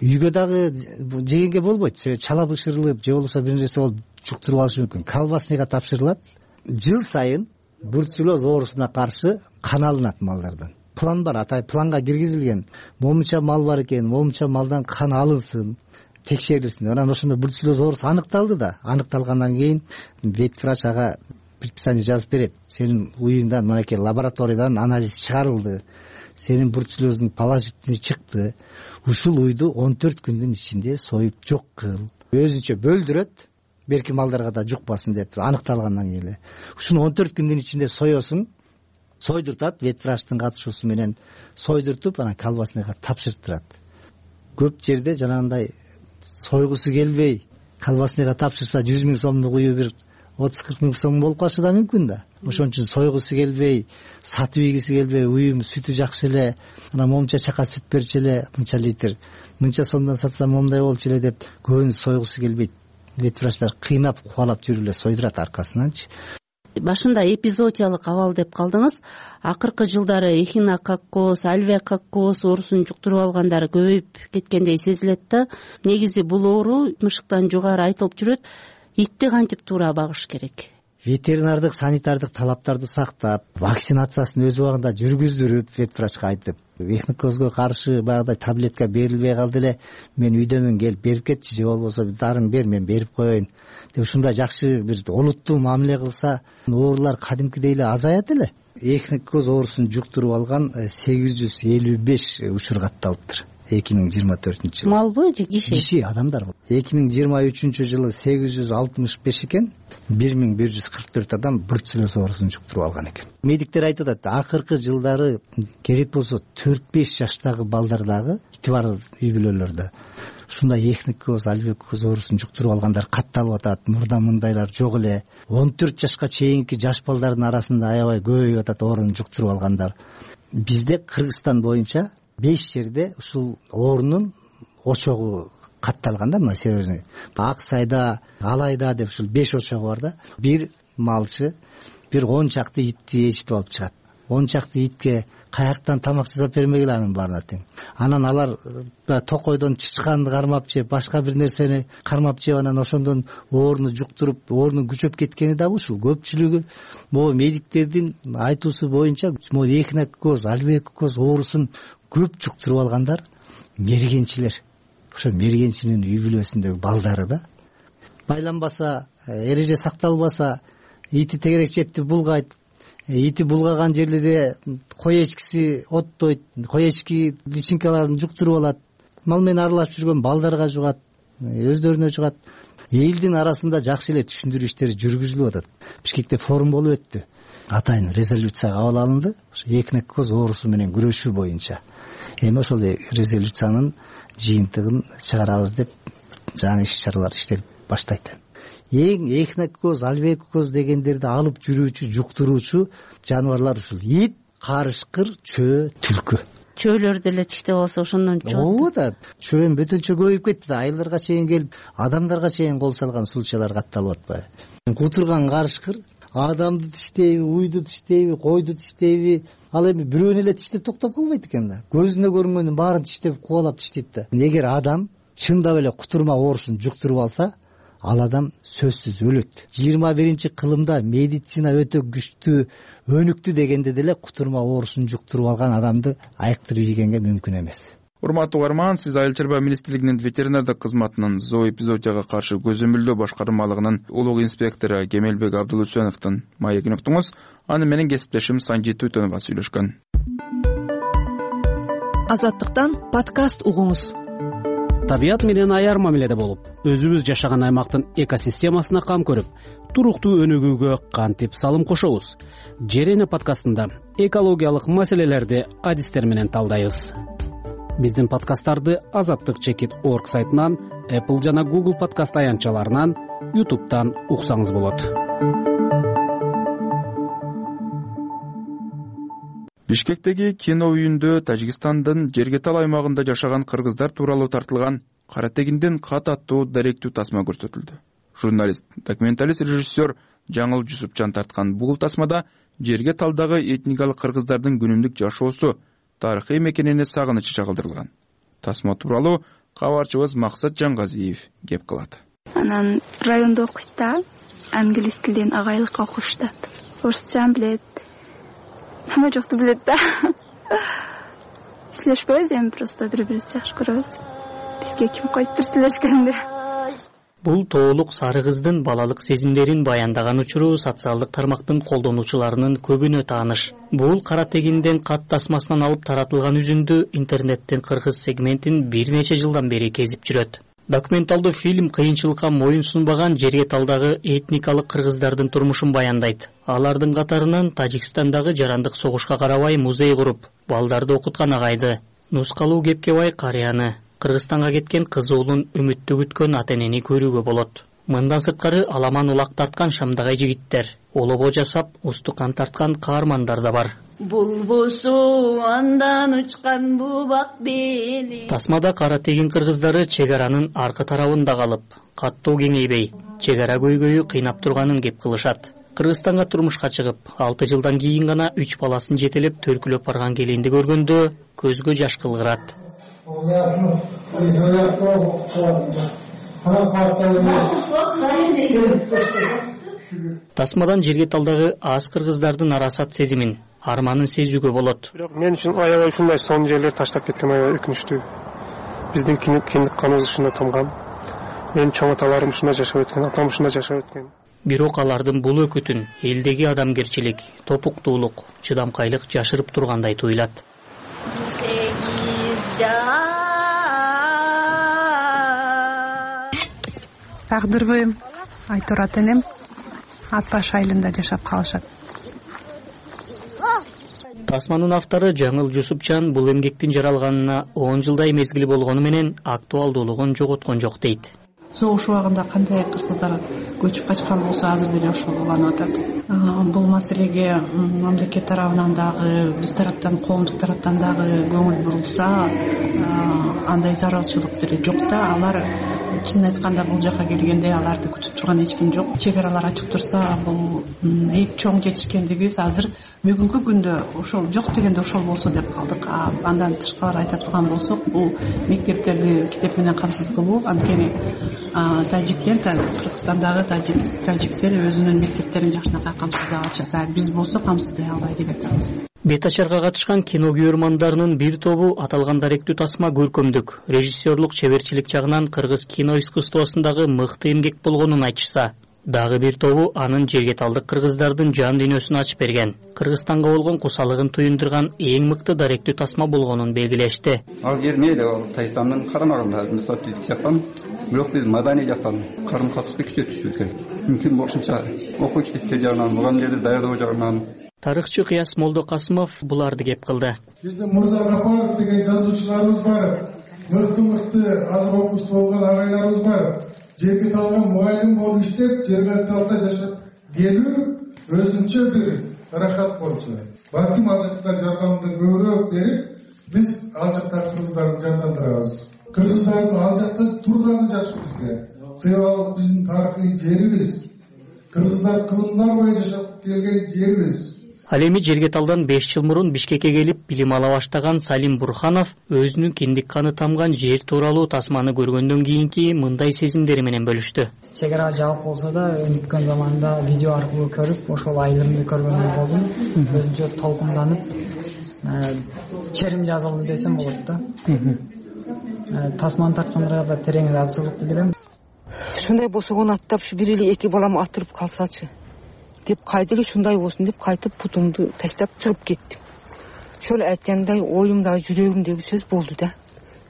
Үйгө дагы жегенге болбойт. Себеби чала бышырылып, же болбосо бир нерсе болуп жуктуруп алышы мүмкүн. Колбасныйга тапшырылат. Жыл сайын бруцеллез оорусуна каршы кан алынат малдардан. План бар, атай планга киргизилген. Момунча мал бар экен, момунча малдан кан алынсын, текшерилсин. Анан ошондо бруцеллез оорусу аныкталды да. Аныкталгандан кийин ветврач ага предписание жазып берет. Сенин уюңдан мынакей лабораториядан анализ чыгарылды. Сенин бруцеллезиң положительный чыкты. Ушул уйду он төрт күндүн ичинде союп жок кыл. Өзүнчө бөлдүрөт, берки малдарга да жукпасын деп аныкталгандан кийин эле. Ушуну он төрт күндүн ичинде соесуң, сойдуртат, ветврачтын катышуусу менен сойдуртуп, анан колбасныйга тапшыртырат. Көп жерде жанагындай сойгусу келбей, колбасныйга тапшырса жүз миң сомдук ую бир отуз кырк миң сом болуп калышы да мүмкүн да. Ошон үчүн сойгусу келбей, сатып ийгиси келбей, уюм сүтү жакшы эле, анан момунча чака сүт берчи эле, мынча литр, мынча сомдон сатсам момундай болчу эле деп көбүнү сойгусу келбейт. Ветврачтар кыйнап, кубалап жүрүп эле сойдурат аркасынанчы. башында эпизоотиялык абал деп калдыңыз. Акыркы жылдары эхинококкоз, альвеококкоз оорусун жуктуруп алгандар көбөйүп кеткендей сезилет да. Негизи бул оору мышыктан жугары айтылып жүрөт. Итти кантип туура багыш керек? Ветеринардык, санитардык талаптарды сактап, вакцинациясын өз убагында жүргүздүрүп, ветврачка айтып, эхинококкозго каршы баягыдай таблетка берилбей калды эле, мен үйдөмүн, келип берип кетчи, же болбосо дарын бер, мен берип коеюн деп ушундай жакшы бир олуттуу мамиле кылса, оорулар кадимкидей эле азаят эле. Эхинококкоз оорусун жуктуруп алган сегиз жүз элүү беш учур катталыптыр. эки миң жыйырма төртүнчү жылы. Малбы же киши? Киши, адамдар. эки миң жыйырма үчүнчү жылы сегиз жүз алтымыш беш экен, бир миң бир жүз кырк төрт адам бруцеллез оорусун жуктуруп алган экен. Медиктер айтып атат, акыркы жылдары керек болсо төрт беш жаштагы балдар дагы ити бар үй бүлөлөрдө ушундай эхинококкоз, альвеококкоз оорусун жуктуруп алгандар катталып атат. Мурда мындайлар жок эле. он төрт жашка чейинки жаш балдардын арасында аябай көбөйүп атат оорун жуктуруп алгандар. Бизде Кыргызстан боюнча беш жерде ушул оорунун очогу катталган да, мына серьезный. Ак Сайда, Алайда деп ушул беш очогу бар да. Бир малчы бир он чакты итти ээрчитип алып чыгат. он чакты итке каяктан тамак жасап бермегиле анын баарына тең. Анан алар токойдон чычканды кармап жеп, башка бир нерсени кармап жеп, анан ошондон ооруну жуктуруп, оорунун күчөп кеткени да ушул. Көпчүлүгү могу медиктердин айтуусу боюнча могу эхинококкоз, альвеококкоз оорусун көп жуктуруп алгандар мергенчилер. Ошо мергенчинин үй бүлөсүндөгү балдары да. Байланбаса, эреже сакталбаса, ити тегерек четти булгайт. Ити булгаган жерлерде кой эчкиси оттойт, кой эчки личинкаларын жуктуруп алат. Мал менен аралашып жүргөн балдарга жугат, өздөрүнө жугат. Элдин арасында жакшы эле түшүндүрүү иштери жүргүзүлүп атат. Бишкекте форум болуп өттү. Атайын резолюция кабыл алынды. Ошо эхинококкоз оорусу менен күрөшүү боюнча. Эми ошол резолюциянын жыйынтыгын чыгарабыз деп жаңы иш-чаралар иштелип баштайт. Эң эхинококкоз, альвеококкоз дегендерди алып жүрүүчү, жуктуруучу жаныбарлар ушул ит, карышкыр, чөө, түлкү. Чөөлөр деле тиштеп алса ошондон чыгат. Ооба да, чөөн бөтөнчө көбөйүп кетти да, айылдарга чейин келип, адамдарга чейин кол салган случайлар катталып атпайбы? Кутурган карышкыр адамды тиштейби, уйду тиштейби, койду тиштейби, ал эми бирөөнү эле тиштеп токтоп калбайт экен да. Көзүнө көрүнгөнүн баарын тиштеп, кубалап тиштейт да. Эгер адам чындап эле кутурма оорусун жуктуруп алса, ал адам сөзсүз өлөт. жыйырма биринчи кылымда медицина өтө күчтүү, өнүктү дегенде деле кутурма оорусун жуктуруп алган адамды айыктырып ийгенге мүмкүн эмес. Урматтуу угарман, сиз Айыл чарба министрлигинин ветеринардык кызматынын зооэпизоотияга каршы көзөмөлдөө башкармалыгынын улуг инспектору Кемелбек Абдулусеновдун маегин уктуңуз. Аны менен кесиптешим Санжит Өтөнова сүйлөшкөн. Азаттыктан подкаст угуңуз. Табият менен аяр мамиледе болуп, өзүбүз жашаган аймактын экосистемасына кам көрүп, туруктуу өнүгүүгө кантип салым кошобуз? Жерене подкастында экологиялык маселелерди адистер менен талдайбыз. Биздин подкасттарды азаттык чекит точка орг сайтынан, Apple жана Google подкаст аянтчаларынан, YouTube'дан уксаңыз болот. Бишкектеги кино үйүндө Тажикстандын Жергетал аймагында жашаган кыргыздар тууралуу тартылган Кара тегинден кат аттуу даректүү тасма көрсөтүлдү. Журналист, документалист, режиссер Жаңыл Жусупчан тарткан бул тасмада Жергеталдагы этникалык кыргыздардын күнүмдүк жашоосу, тарыхый мекенине сагынычы чагылдырылган. Тасма тууралуу кабарчыбыз Максат Жангазиев кеп кылат. Анан райондо окуйт да, англис тилден агайлыкка окуштат. Орусча билет. Ама жокту билет да. Сүйлөшпөйбүз эми, просто бири-бирибизди жакшы көрөбүз. Бизге ким койттур сүйлөшкөндө. Бул тоолук сары кыздын балалык сезимдерин баяндаган учуру социалдык тармактын колдонуучуларынын көбүнө тааныш. Бул Кара тегинден кат тасмасынан алып таратылган үзүндү интернеттин кыргыз сегментин бир нече жылдан бери кезип жүрөт. Документалдуу фильм кыйынчылыкка моюн сунбаган Жергеталдагы этникалык кыргыздардын турмушун баяндайт. Алардын катарынан Тажикстандагы жарандык согушка карабай музей куруп, балдарды окуткан агайды, Нускалуу Кепкебай карыяны, Кыргызстанга кеткен кызы уулун үмүттүү күткөн ата-энени көрүүгө болот. Мындан сырткары аламан улак тарткан шамдагай жигиттер, олобо жасап, устукан тарткан каармандар да бар. Булбусу андан учкан бубак бели. Тасмада Кара тегин кыргыздары чек аранын аркы тарабында калып, каттоо кеңейбей, чек ара көйгөйү кыйнап турганын кеп кылышат. Кыргызстанга турмушка чыгып, алты жылдан кийин гана үч баласын жетелеп төркүлөп барган келинди көргөндө көзгө жаш кылгырат. Тасмадан жерге талдагы аз кыргыздардын арасат сезимин, арманын сезүүгө болот. Бирок мен үчүн аябай ушундай сонун жерлер таштап кеткен аябай өкүнүчтүү. Биздин киндик каныбыз ушунда тамган. Менин чоң аталарым ушунда жашап өткөн, атам ушунда жашап өткөн. Бирок алардын бул өкүтүн элдеги адамгерчилик, топуктуулук, чыдамкайлык жашырып тургандай туюлат. Тагдырбы Айтурат энем ат баш айылында жашап калышат. Тасманын автору Жаңыл Жусупчан бул эмгектин жаралганына он жылдай мезгили болгону менен актуалдуулугун жоготкон жок дейт. Согуш убагында кандай кыргыздар көчүп качкан болсо азыр деле ошол уланып атат. Бул маселеге мамлекет тарабынан дагы, биз тараптан, коомдук тараптан дагы көңүл бурулса, андай зарылчылык деле жок да. Алар чынын айтканда бул жака келгенде аларды күтүп турган эч ким жок. Чек аралар ачык турса, бул эң чоң жетишкендигибиз азыр бүгүнкү күндө ошол жок дегенде ошол болсо деп калдык. Андан тышкары айта турган болсок, бул мектептерди китеп менен камсыз кылуу. Анткени тажиктер, Кыргызстандагы тажиктер өзүнүн мектептерин жакшынакай камсыздай алышат. Биз болсо камсыздай албай деп атабыз. Бет ачарга катышкан кино көрөрмандарынын бир тобу аталган даректүү тасма көркөмдүк, режиссерлук чеберчилик жагынан кыргыз кино искусствосундагы мыкты эмгек болгонун айтышса, дагы бир тобу анын жергеталдык кыргыздардын жан дүйнөсүн ачып берген, Кыргызстанга болгон кусалыгын туюндурган эң мыкты даректүү тасма болгонун белгилешти. Ал жер мейли Тайстандын карамагында, мустатилдик жактан, бирок биз маданий жактан карым катышты күчөтүшүбүз керек. Мүмкүн болушунча окуу китептер жагынан, мугалимдерди даярдоо жагынан. Тарыхчы Кыяс Молдокасымов буларды кеп кылды. Биздин Мурза Гапаров деген жазуучуларыбыз бар. Мыкты-мыкты азыр окуучу болгон агайларыбыз бар. Жерге талган мугалим болуп иштеп, жерге талда жашап келүү өзүнчө бир рахат болчу. Балким ал жакта жардамды көбүрөөк берип, биз ал жакта кыргыздарды жардамдырабыз. Кыргыздардын ал жакта турганы жакшы бизге. Себеби биздин тарыхый жерибиз. Кыргыздар кылымдар бою жашап келген жерибиз. Ал эми Жергеталдан беш жыл мурун Бишкекке келип билим ала баштаган Салим Бурханов өзүнүн киндик каны тамган жер тууралуу тасманы көргөндөн кийинки мындай сезимдери менен бөлүштү. Чек ара жабык болсо да өткөн заманда видео аркылуу көрүп, ошол айылымды көргөндөй болдум. Өзүнчө толкунданып, черим жазылды десем болот да. Тасманы тарткандарга да терең ыраазычылык билдирем. Ушундай болсо аттап ушу бир эле эки балам атырып калсачы деп кайда эле ушундай болсун деп кайтып путумду таштап чыгып кеттим. Ошол айткандай оюмдагы жүрөгүмдөгү сөз болду да.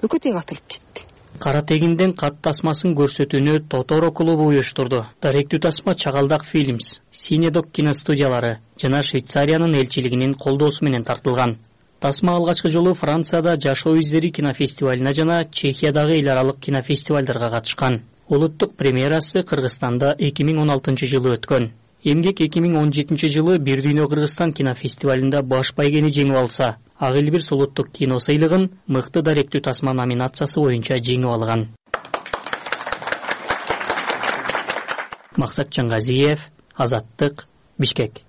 Экөө тең атылып кетти. Кара тегинден кат тасмасын көрсөтүүнү Тоторо клубу уюштурду. Даректүү тасма Чагалдак Films, Синедок киностудиялары жана Швейцариянын элчилигинин колдоосу менен тартылган. Тасма алгачкы жолу Францияда Жашоо издери кинофестивалына жана Чехиядагы эл аралык кинофестивалдарга катышкан. Улуттук премьерасы Кыргызстанда эки миң он алтынчы жылы өткөн. Эмгек эки миң он жетинчи жылы Бир дүйнө Кыргызстан кинофестивалында баш байгени жеңип алса, Ак Элбирс улуттук кино сыйлыгын мыкты даректүү тасма номинациясы боюнча жеңип алган. Максат Чангазиев, Азаттык, Бишкек.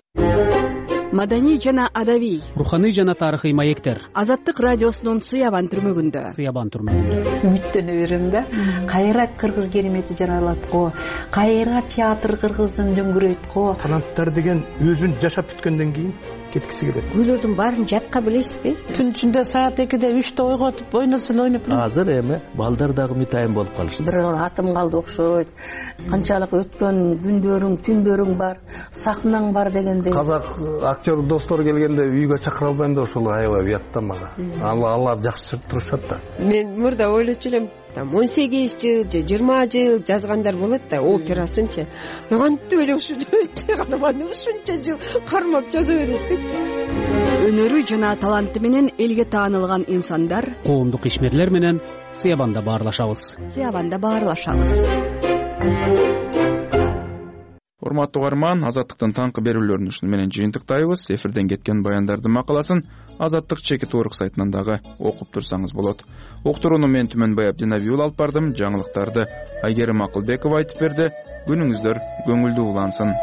Маданий жана адабий, руханий жана тарыхый маектер. Азаттык радиосунун Сыябан түрмөгүндө. Сыябан түрмөгүндө. Үмүттөнө берем да. Кайра кыргыз керемети жаралат го. Кайра театр кыргыздын дөңгүрөйт го. Таланттар деген өзүн жашап бүткөндөн кийин кеткиси келет. Күйлөрдүн баарын жатка билесизби? Түн ичинде саат экиде үчтө ойготуп ойносун ойноп. Азыр эми балдар дагы мытайын болуп калышты. Бир атым калды окшойт. Канчалык өткөн күндөрүң, түндөрүң бар, сахнаң бар дегендей. Казак актер достор келгенде үйгө чакыра албайм да ошол аябай уят да мага. Алар жакшы турушат да. Мен мурда ойлочу элем, там он сегиз жыл же жыйырма жыл жазгандар болот да, операсынчы. Кантип эле ушунча карманды ушунча жыл кармап жаза берет. Өнөрү жана таланты менен элге таанылган инсандар, коомдук ишмерлер менен Сыябанда баарлашабыз. Сыябанда баарлашабыз. Урматтуу угарман, Азаттыктын таңкы берүүлөрүн ушуну менен жыйынтыктайбыз. Эфирден кеткен баяндардын макаласын Азаттык чекит орг сайтынан дагы окуп турсаңыз болот. Уктурууну мен Түмөнбай Абдинабиул алып бардым. Жаңылыктарды Айгерим Акылбекова айтып берди. Күнүңүздөр көңүлдүү улансын.